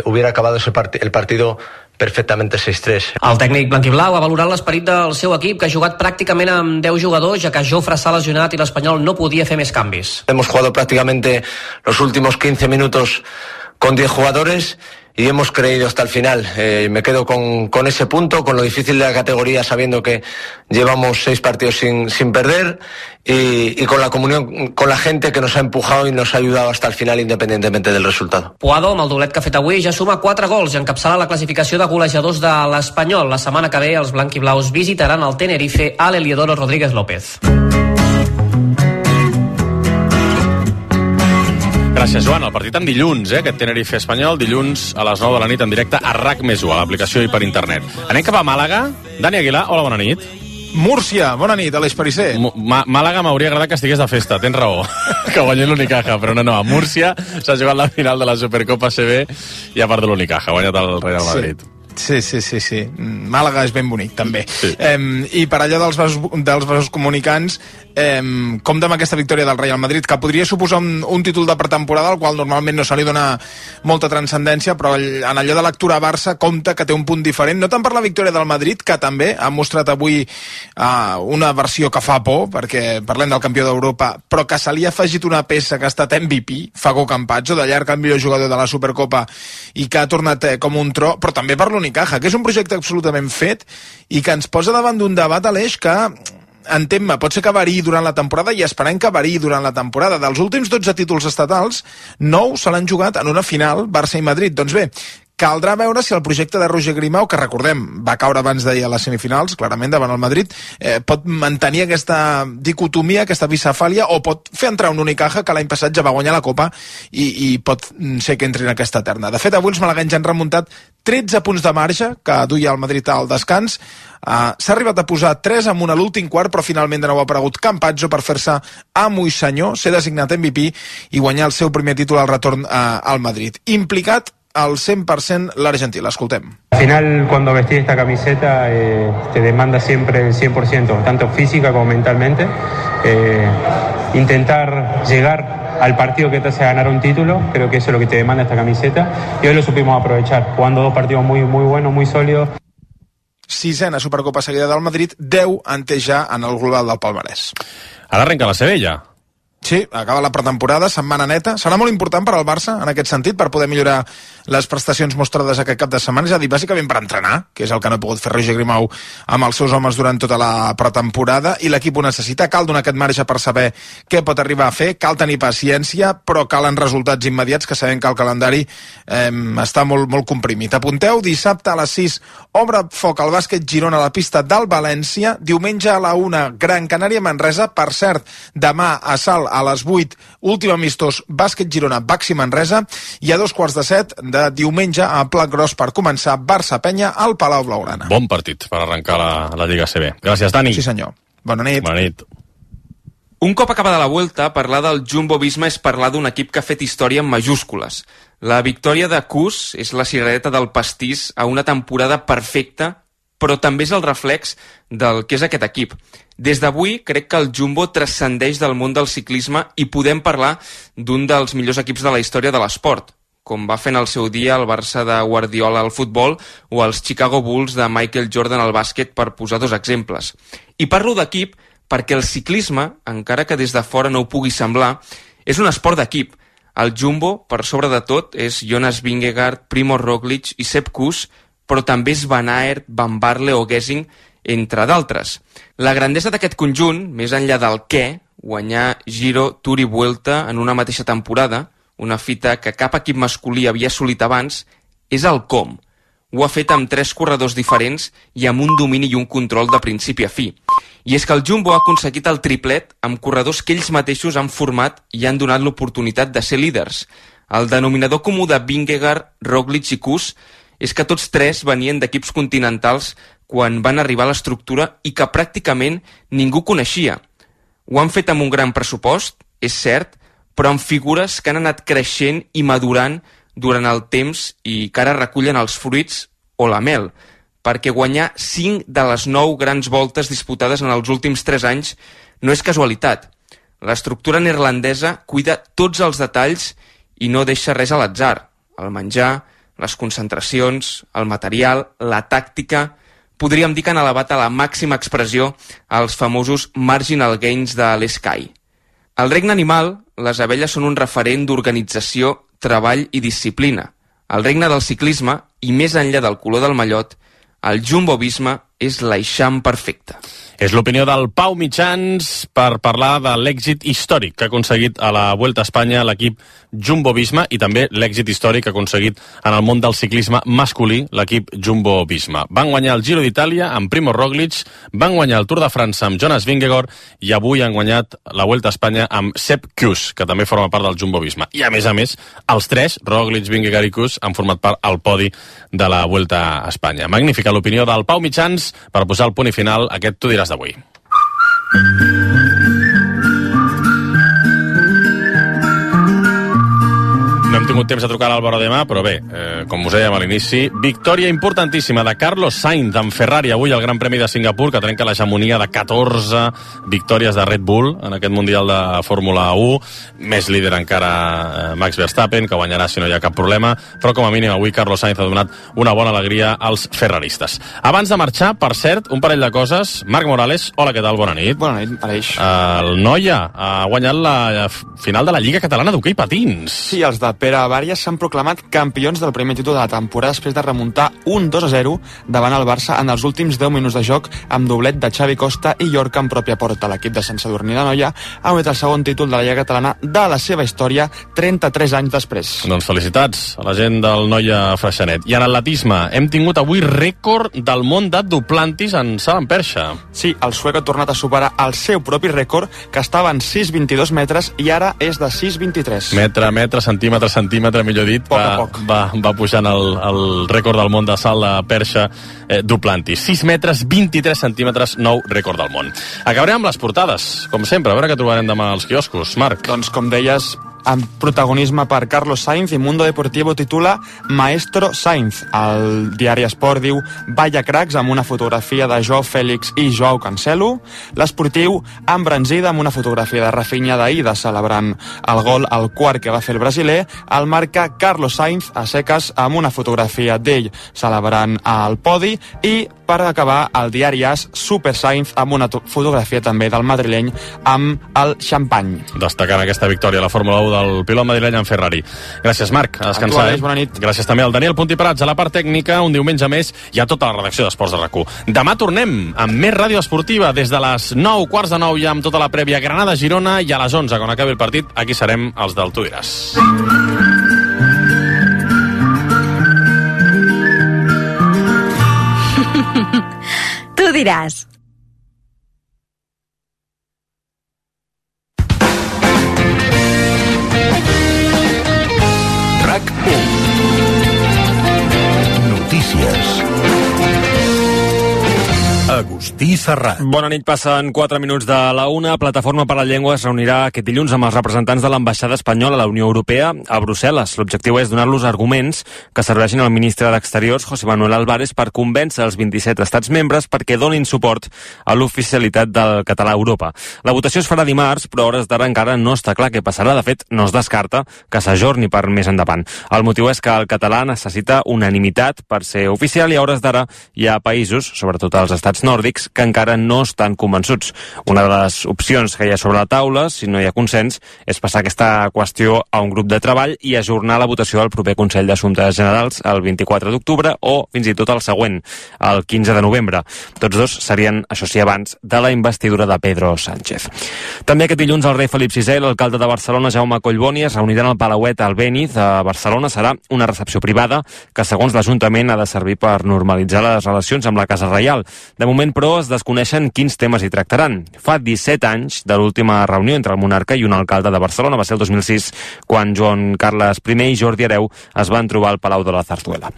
hubiera acabado el partido perfectamente 6-3. El tècnic blanquiblau ha valorat l'esperit del seu equip, que ha jugat pràcticament amb 10 jugadors, ja que Jofre s'ha lesionat i l'Espanyol no podia fer més canvis. Hemos jugado prácticamente los últimos 15 minutos con 10 jugadores y hemos creído hasta el final. Me quedo con ese punto, con lo difícil de la categoría, sabiendo que llevamos 6 partidos sin perder y con la comunión con la gente que nos ha empujado y nos ha ayudado hasta el final independientemente del resultado. Puado, amb el doblet que ha fet avui, ja suma 4 gols i encapçala la classificació de golejadors de l'Espanyol. La setmana que ve els blanquiblaus visitaran el Tenerife a l'Heliodoro Rodríguez López. Gràcies, Joan. El partit en dilluns, aquest Tenerife Espanyol, dilluns a les 9 de la nit en directe a RAC+1, a l'aplicació i per internet. Anem cap a Màlaga. Dani Aguilar, hola, bona nit. Múrcia, bona nit, Aleix Perisser. Màlaga m'hauria agradat que estigués de festa, tens raó, que guanyi l'Unicaja, però no, a Múrcia s'ha jugat la final de la Supercopa CB i ha perdut l'Unicaja, ha guanyat el Real Madrid. Sí. Màlaga és ben bonic, també. Sí. I per allò dels vasos comunicants, compta amb aquesta victòria del Real Madrid, que podria suposar un títol de pretemporada, al qual normalment no se li dona molta transcendència, però en allò de lectura a Barça compta que té un punt diferent, no tant per la victòria del Madrid, que també ha mostrat avui una versió que fa por, perquè parlem del campió d'Europa, però que se li ha afegit una peça que ha estat MVP, Fago Campazzo, de llarg el millor jugador de la Supercopa, i que ha tornat com un tro, però també per l'Unicaja, que és un projecte absolutament fet i que ens posa davant d'un debat, Aleix, que entén-me, pot ser que variï durant la temporada i esperem que variï durant la temporada. Dels últims 12 títols estatals, 9 se l'han jugat en una final Barça i Madrid. Doncs bé, Caldrà veure si el projecte de Roger Grimau, que recordem, va caure abans d'ahir a les semifinals, clarament davant el Madrid, pot mantenir aquesta dicotomia, aquesta bicefàlia, o pot fer entrar un Unicaja que l'any passat ja va guanyar la Copa i pot ser que entri en aquesta terna. De fet, avui els malaguenys han remuntat 13 punts de marge que duia el Madrid al descans. S'ha arribat a posar 3-1 a l'últim quart, però finalment de nou ha aparegut Campazzo per fer-se amo i senyor, ser designat MVP i guanyar el seu primer títol al retorn al Madrid. Implicat al 100% l'argentí. L'escoltem. Al final, cuando vestís esta camiseta, te demanda siempre el 100%, tanto física como mentalmente. Intentar llegar al partido que te hace ganar un título, creo que eso es lo que te demanda esta camiseta, y hoy lo supimos aprovechar, jugando dos partidos muy buenos, muy sólidos. 6ena Supercopa seguida del Madrid, 10 ante ja en el global del palmarès. Ara arrenca la Sevilla. Sí, acaba la pretemporada, setmana neta. Serà molt important per al Barça, en aquest sentit, per poder millorar les prestacions mostrades aquest cap de setmana, és a dir, bàsicament per entrenar, que és el que no ha pogut fer Roger Grimau amb els seus homes durant tota la pretemporada, i l'equip ho necessita. Cal donar aquest marge per saber què pot arribar a fer, cal tenir paciència, però calen resultats immediats, que sabem que el calendari està molt comprimit. Apunteu, dissabte a les 6, obre foc al bàsquet Girona a la pista del València, diumenge a la 1, Gran Canària Manresa, per cert, demà a Salt a les 8, últim amistós bàsquet Girona, Baxi Manresa, i a 2:15 de diumenge a Plat Gros per començar Barça Penya al Palau Blaugrana. Bon partit per arrencar la Lliga CB. Gràcies, Dani. Sí, senyor. Bona nit. Bona nit. Un cop acabada la Vuelta, parlar del Jumbo-Visma és parlar d'un equip que ha fet història en majúscules. La victòria de Kuss és la ciradeta del pastís a una temporada perfecta, però també és el reflex del que és aquest equip. Des d'avui crec que el Jumbo transcendeix del món del ciclisme i podem parlar d'un dels millors equips de la història de l'esport, com va fer en el seu dia el Barça de Guardiola al futbol o els Chicago Bulls de Michael Jordan al bàsquet, per posar dos exemples. I parlo d'equip perquè el ciclisme, encara que des de fora no ho pugui semblar, és un esport d'equip. El Jumbo, per sobre de tot, és Jonas Vingegaard, Primož Roglič i Sepp Kuss, però també és Van Aert, Van Barle o Gesing, entre d'altres. La grandesa d'aquest conjunt, més enllà del què, guanyar Giro, Tour i Vuelta en una mateixa temporada, una fita que cap equip masculí havia assolit abans, és el com. Ho ha fet amb 3 corredors diferents i amb un domini i un control de principi a fi. I és que el Jumbo ha aconseguit el triplet amb corredors que ells mateixos han format i han donat l'oportunitat de ser líders. El denominador comú de Vingegaard, Roglič i Kuss és que tots 3 venien d'equips continentals quan van arribar a l'estructura i que pràcticament ningú coneixia. Ho han fet amb un gran pressupost, és cert, però amb figures que han anat creixent i madurant durant el temps i que ara recullen els fruits o la mel, perquè guanyar 5 de les 9 grans voltes disputades en els últims 3 anys no és casualitat. L'estructura neerlandesa cuida tots els detalls i no deixa res a l'atzar. El menjar, les concentracions, el material, la tàctica. Podríem dir que han elevat a la màxima expressió els famosos marginal gains de l'Sky. Al regne animal, les abelles són un referent d'organització, treball i disciplina. Al regne del ciclisme, i més enllà del color del mallot, el Jumbo-Visma és l'eixam perfecte. És l'opinió del Pau Mitjans per parlar de l'èxit històric que ha aconseguit a la Vuelta a Espanya l'equip Jumbo-Visma i també l'èxit històric que ha aconseguit en el món del ciclisme masculí l'equip Jumbo-Visma. Van guanyar el Giro d'Itàlia amb Primož Roglič, van guanyar el Tour de França amb Jonas Vingegaard i avui han guanyat la Vuelta a Espanya amb Sepp Kuss, que també forma part del Jumbo-Visma. I a més, els 3, Roglič, Vingegaard i Kuss, han format part al podi de la Vuelta a Espanya. Magnífica l'opinió del Pau Mitjans per posar el punt i final a aquest Tu diràs d'avui. No hem tingut temps de trucar a l'Álvaro demà, però bé, com us dèiem a l'inici, victòria importantíssima de Carlos Sainz en Ferrari avui al Gran Premi de Singapur, que trenca l'hegemonia de 14 victòries de Red Bull en aquest Mundial de Fórmula 1. Més líder encara Max Verstappen, que guanyarà si no hi ha cap problema, però com a mínim avui Carlos Sainz ha donat una bona alegria als ferraristes. Abans de marxar, per cert, un parell de coses. Marc Morales, hola, què tal? Bona nit. Bona nit, Aleix. El Noia ha guanyat la final de la Lliga Catalana d'Hoquei Patins. Sí, els de Pere Bària s'han proclamat campions del primer títol de la temporada després de remuntar un 2-0 davant el Barça en els últims 10 minuts de joc amb doblet de Xavi Costa i Llorca en pròpia porta. L'equip de Sant Sadurní d'Anoia ha guanyat el segon títol de la Lliga Catalana de la seva història 33 anys després. Doncs felicitats a la gent del Noia Freixenet. I en atletisme hem tingut avui rècord del món de Duplantis en salt en perxa. Sí, el suec ha tornat a superar el seu propi rècord, que estava en 6,22 metres i ara és de 6,23. Metre, centímetre, millor dit, va pujant el rècord del món de salt de perxa Duplantis. 6 metres, 23 centímetres, nou rècord del món. Acabarem amb les portades, com sempre, a veure què trobarem demà als quioscos. Marc. Doncs com deies, amb protagonisme per Carlos Sainz, i Mundo Deportivo titula Maestro Sainz. El diari Esport diu Vaya cracs, amb una fotografia de Joao Félix i Joao Cancelo. L'Esportiu embranzida amb una fotografia de Rafinha d'Aida celebrant el gol al quart que va fer el brasiler. El marca Carlos Sainz a seques amb una fotografia d'ell celebrant el podi. I per acabar, el diari AS, Super Sainz amb una fotografia també del madrileny amb el xampany. Destacant aquesta victòria a la Fórmula 1 del pilot madrileny en Ferrari. Gràcies, Marc. A descansar. Bona nit. Gràcies també al Daniel Puntí Prats a la part tècnica, un diumenge més, i a tota la redacció d'Esports de RAC1. Demà tornem amb més ràdio esportiva des de les 9, quarts de 9, ja amb tota la prèvia Granada-Girona, i a les 11, quan acabi el partit, aquí serem els del Tu diràs. Tu diràs. RAC1. Notícies. Agustí Serrat. Bona nit, passen 4 minuts de la 1. Plataforma per la Llengua es reunirà aquest dilluns amb els representants de l'ambaixada espanyola a la Unió Europea a Brussel·les. L'objectiu és donar-los arguments que serveixin al ministre d'Exteriors, José Manuel Álvarez, per convèncer els 27 estats membres perquè donin suport a l'oficialitat del català a Europa. La votació es farà dimarts, però a hores d'ara encara no està clar què passarà. De fet, no es descarta que s'ajorni per més endavant. El motiu és que el català necessita unanimitat per ser oficial i a hores d'ara hi ha països, sobretot els estats nòrdics, que encara no estan convençuts. Una de les opcions que hi ha sobre la taula, si no hi ha consens, és passar aquesta qüestió a un grup de treball i ajornar la votació del proper Consell d'Assumptes Generals el 24 d'octubre o fins i tot el següent, el 15 de novembre. Tots dos serien, això sí, abans de la investidura de Pedro Sánchez. També aquest dilluns el rei Felip VI i l'alcalde de Barcelona, Jaume Collboni, es reuniran al Palauet Albéniz a Barcelona. Serà una recepció privada que, segons l'Ajuntament, ha de servir per normalitzar les relacions amb la Casa Reial. De moment, però, es desconeixen quins temes hi tractaran. Fa 17 anys de l'última reunió entre el monarca i un alcalde de Barcelona. Va ser el 2006, quan Joan Carles I i Jordi Hereu es van trobar al Palau de la Zarzuela.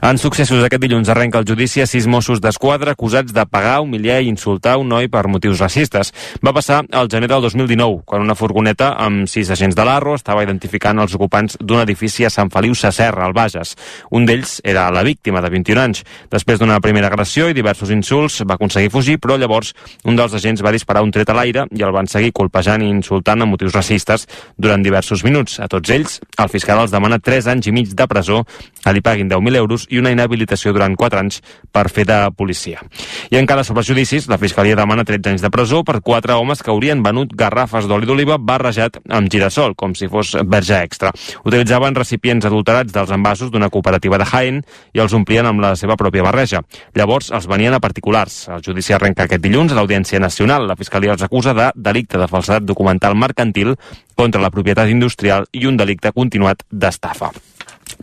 En successos, aquest dilluns arrenca el judici a 6 Mossos d'Esquadra acusats de pagar, humiliar i insultar un noi per motius racistes. Va passar al gener del 2019, quan una furgoneta amb 6 agents de l'Arro estava identificant els ocupants d'un edifici a Sant Feliu Sasserra, al Bages. Un d'ells era la víctima, de 21 anys. Després d'una primera agressió i diversos insults, va aconseguir fugir, però llavors un dels agents va disparar un tret a l'aire i el van seguir colpejant i insultant amb motius racistes durant diversos minuts. A tots ells, el fiscal els demana 3 anys i mig de presó, que li paguin 10.000 euros i una inhabilitació durant 4 anys per fer de policia. I encara sobre els judicis, la fiscalia demana 13 anys de presó per 4 homes que haurien venut garrafes d'oli d'oliva barrejat amb girassol, com si fos verge extra. Utilitzaven recipients adulterats dels envasos d'una cooperativa de Jaén i els omplien amb la seva pròpia barreja. Llavors els venien a particulars. El judici arrenca aquest dilluns a l'Audiència Nacional. La Fiscalia els acusa de delicte de falsedat documental mercantil contra la propietat industrial i un delicte continuat d'estafa.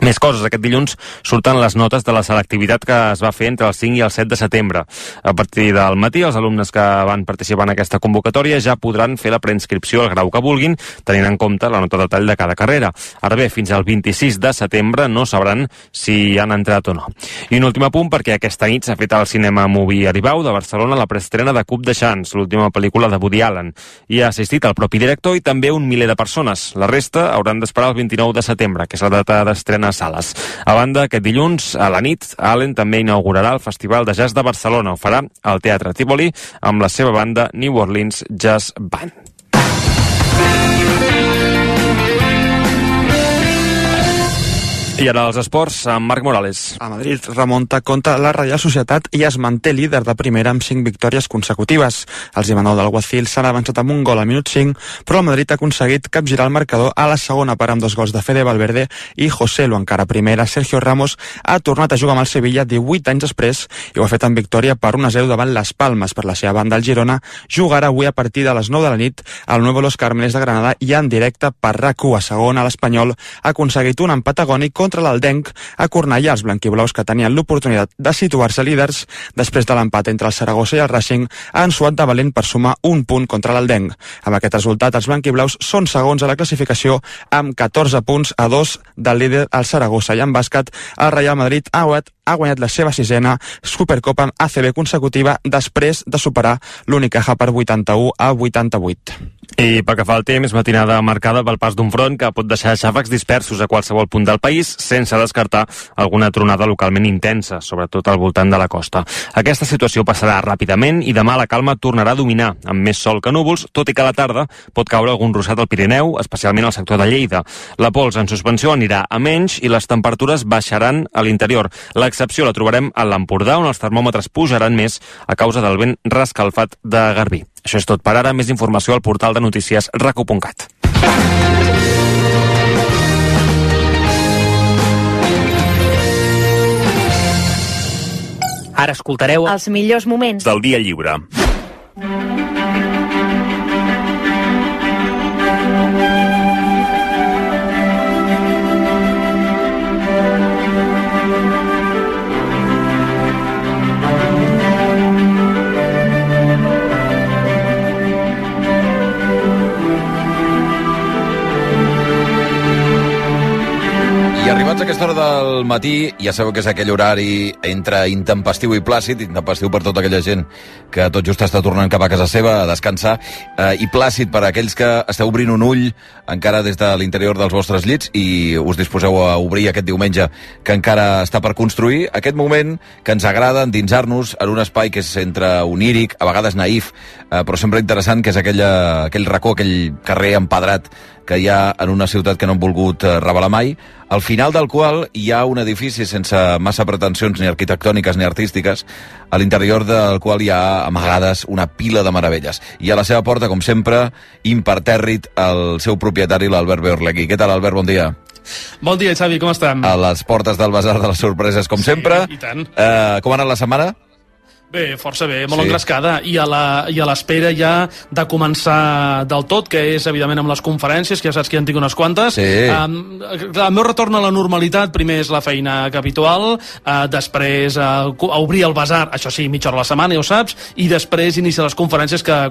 Més coses. Aquest dilluns surten les notes de la selectivitat que es va fer entre el 5 i el 7 de setembre. A partir del matí, els alumnes que van participar en aquesta convocatòria ja podran fer la preinscripció al grau que vulguin, tenint en compte la nota de tall de cada carrera. Ara bé, fins al 26 de setembre no sabran si han entrat o no. I un últim apunt, perquè aquesta nit s'ha fet al Cinema Movie Aribau de Barcelona la preestrena de Cup de Chance, l'última pel·lícula de Woody Allen. Hi ha assistit el propi director i també un miler de persones. La resta hauran d'esperar el 29 de setembre, que és la data d'estrena a sales. A banda, aquest dilluns, a la nit, Allen també inaugurarà el Festival de Jazz de Barcelona. Ho farà al Teatre Tívoli amb la seva banda New Orleans Jazz Band. I ara els esports, amb Marc Morales. A Madrid remunta contra la Reial Societat i es manté líder de primera amb 5 victòries consecutives. Els Imanol del Guacil s'han avançat amb un gol al minut 5, però el Madrid ha aconseguit capgirar el marcador a la segona part amb 2 gols de Fede Valverde i José Lu. Encara primera, Sergio Ramos ha tornat a jugar amb el Sevilla 18 anys després i ho ha fet en victòria per 1-0 davant les Palmes. Per la seva banda, el Girona jugarà avui a partir de les 9 de la nit al Nuevo Los Cármenes de Granada i en directe per RAC1. A segona, l'Espanyol ha aconseguit un empat agònic contra l'Aldenc a Cornellà. Els blanquiblaus, que tenien l'oportunitat de situar-se líders després de l'empat entre el Saragossa i el Racing, han suat de valent per sumar un punt contra l'Aldenc. Amb aquest resultat, els blanquiblaus són segons a la classificació amb 14 punts a 2 del líder el Saragossa. I en bàsquet, el Real Madrid ha guanyat la seva 6ª Supercopa ACB consecutiva després de superar l'Unicaja per 81-88. I pel que fa al temps, matinada marcada pel pas d'un front que pot deixar xàfecs dispersos a qualsevol punt del país, sense descartar alguna tronada localment intensa, sobretot al voltant de la costa. Aquesta situació passarà ràpidament i demà la calma tornarà a dominar, amb més sol que núvols, tot i que a la tarda pot caure algun ruixat al Pirineu, especialment al sector de Lleida. La pols en suspensió anirà a menys i les temperatures baixaran a l'interior. L'excepció la trobarem a l'Empordà, on els termòmetres pujaran més a causa del vent rescalfat de Garbí. Això és tot per ara. Més informació al portal de notícies raco.cat. Ara escoltareu els millors moments del dia lliure. I arribats a aquesta hora del matí, ja sabeu que és aquell horari entre intempestiu i plàcid, intempestiu per tota aquella gent que tot just està tornant cap a casa seva a descansar, i plàcid per a aquells que esteu obrint un ull encara des de l'interior dels vostres llits i us disposeu a obrir aquest diumenge que encara està per construir, aquest moment que ens agrada endinsar-nos en un espai que és entre oníric, a vegades naïf, però sempre interessant, que és aquell racó, aquell carrer empedrat que hi ha en una ciutat que no han volgut revelar mai, al final del qual hi ha un edifici sense massa pretensions ni arquitectòniques ni artístiques, a l'interior del qual hi ha amagades una pila de meravelles. I a la seva porta, com sempre, impertèrrit, el seu propietari, l'Albert Beorlegui. Què tal, Albert? Bon dia. Bon dia, Xavi, com estem? A les portes del Basar de les Sorpreses, com sempre. I tant. Com ha anat la setmana? Bé, força bé, molt engrescada, i a l'espera ja de començar del tot, que és evidentment amb les conferències, que ja saps que ja en tinc unes quantes. Sí. El meu retorn a la normalitat, primer és la feina habitual, després a obrir el Basar, això sí, mitja hora a la setmana, ja ho saps, i després iniciar les conferències que